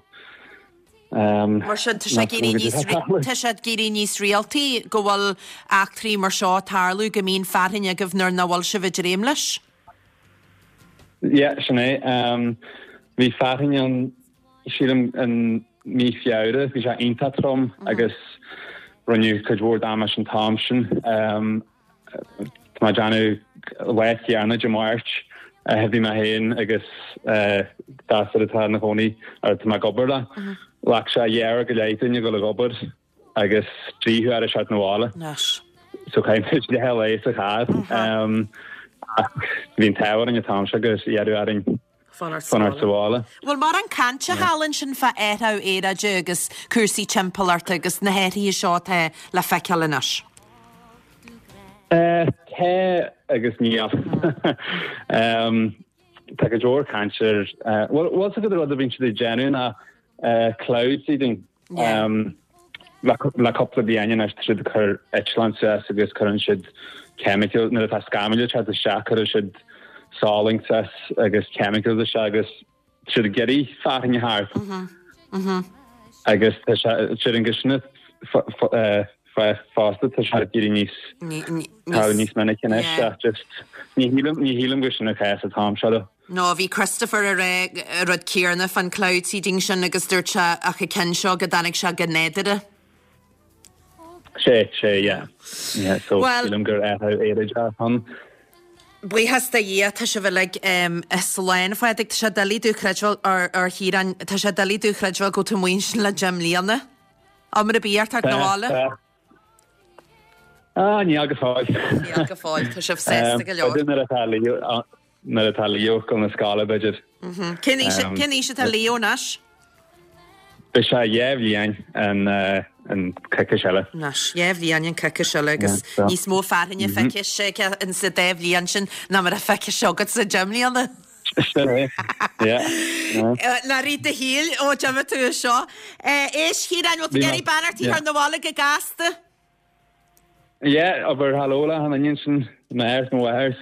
Mar sin tá sé ag éirí níos tá sé ag éirí níos rialtaí go bhfuil eachtraí mar seo ag tarlú go mbíonn fearthainn agaibh nuair nach bhfuil sibh ag dréim leis? Yeah, sin é. Bhí fearthainn ann sílim in mí Feabhra, bhí sé iontach trom agus rinneadh cuid mhór damáiste an t-am sin. Tá mé ag déanamh lá céanna Dé Máirt bhí mé féin agus gasúr atá ina chónaí ar tá mé ag obair le. Ghlac sé dhá uair go leith dúinn a dhul ag obair agus trí huaire a theacht 'na bhaile. So chaith muid leath lae sa charr. Ach bhí an t-ádh orainn an t-am seo gur iarradh orainn Fanacht sa bhaile. Bhfuil mórán cainte thall ansin fá athrú aeráide agus cúrsaí timpeallachta agus na hathruithe seo atá le feiceáil anois? Tá agus níl. Tá go leor cainte ar, bhuel, bhfuil fhios agat an rud a bhíonn siad ag déanamh ná cloud seeding. Le cúpla bliain anois tá siad ag cur eitleán suas agus cuireann siad chemical, nuair atá scamaill ag teacht isteach cuireann siad salann suas agus chemicals isteach agus tá siad ag iarraidh fearthainn a thabhairt. Agus tá sé, sílim gur sin fosta tá sé ag éirí níos tá níos minice anois ach just ní shílim ní shílim gur sin an cás an t-am seo. No, bhí Christopher ag rá an rud céanna fán cloud seeding sin agus dúirt sé ach an ceann seo go dtáinig sé go nádúrtha. Sé, sé, yeah. Yeah, so sílim gur athrú aeráide atá ann. Buíochas do Dhia, tá sibh uilig slán. A Phádraig, tá sé doiligh domh a chreidbheáil, a Chiaráin, tá sé doiligh domh a chreidbheáil go bhfuil tú amuigh ansin le deich mbliana. Am ar bith ort teacht 'na bhaile? Ah, níl go fóill. Níl go fóill, tá sibh sásta go leor. B'fhéidir nuair atá Leo, nuair atá Leo ag dul na scoile, b'fhéidir. Cén aois, cén aois atá Leo anois? Beidh sé dhá bhliain an an coicís eile. Anois, dhá bhliain an coicís eile agus níos mó fearthainne feicthe aige in sa dá bhliain sin ná mar a feicthe sé agat sa deich mbliana. Sin é, yeah. Le rith do shaoil ó d'imigh tú as seo. Éist, a Chiaráin, bhfuil tú ag iarraidh beannacht a chur 'na bhaile go gasta? Yeah, abair hello le achan duine ansin, m'athair 's mo mháthair 's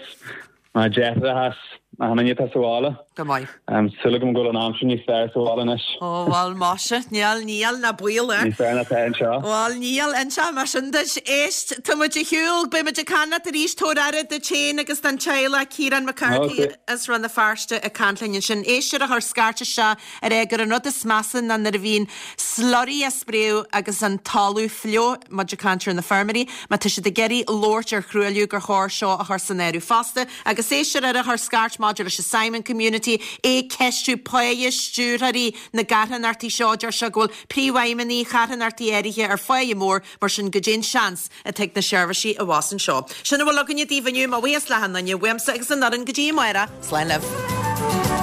mo dheartháireacha 's achan duine atá sa bhaile. Go maith. Súil agam go bhfuil an aimsir níos fearr sa bhaile anois. Ó, bhuel, maise, níl, níl, ná baol air. Níos fearr ná atá anseo. Bhuel, níl, inseoidh mé sin duit. Éist, tá muid ar shiúl, beidh muid ag caint leat arís, tabhair aire duit féin agus don teaghlach, Ciarán Mac Cárthaigh as Rann na Feirste ag caint linn ansin. Éisteoir a chuir scairt isteach ag rá gur an rud is measa ná nuair a bhíonn slurry á spréadh agus an talamh fliuch, muid ag caint ar na feirmeoirí, má tá siad ag iarraidh labhairt ar thruailliú gur chóir seo a chur san áireamh fosta. Agus éisteoir eile a chuir scairt maidir leis an Simon Community, ag ceistiú páighe stiúrthóirí na gcarthanachtaí seo, deir sé go bhfuil príomhfheidhmeannaigh charthanachtaí áirithe ar pháighe mór, mar sin goidé an seans atá ag na seirbhísí a bheas anseo. Sin a bhfuil againne daoibh inniu, mo bhuíochas le achan duine, uaimse agus an fhoireann go dtí amárach, slán libh.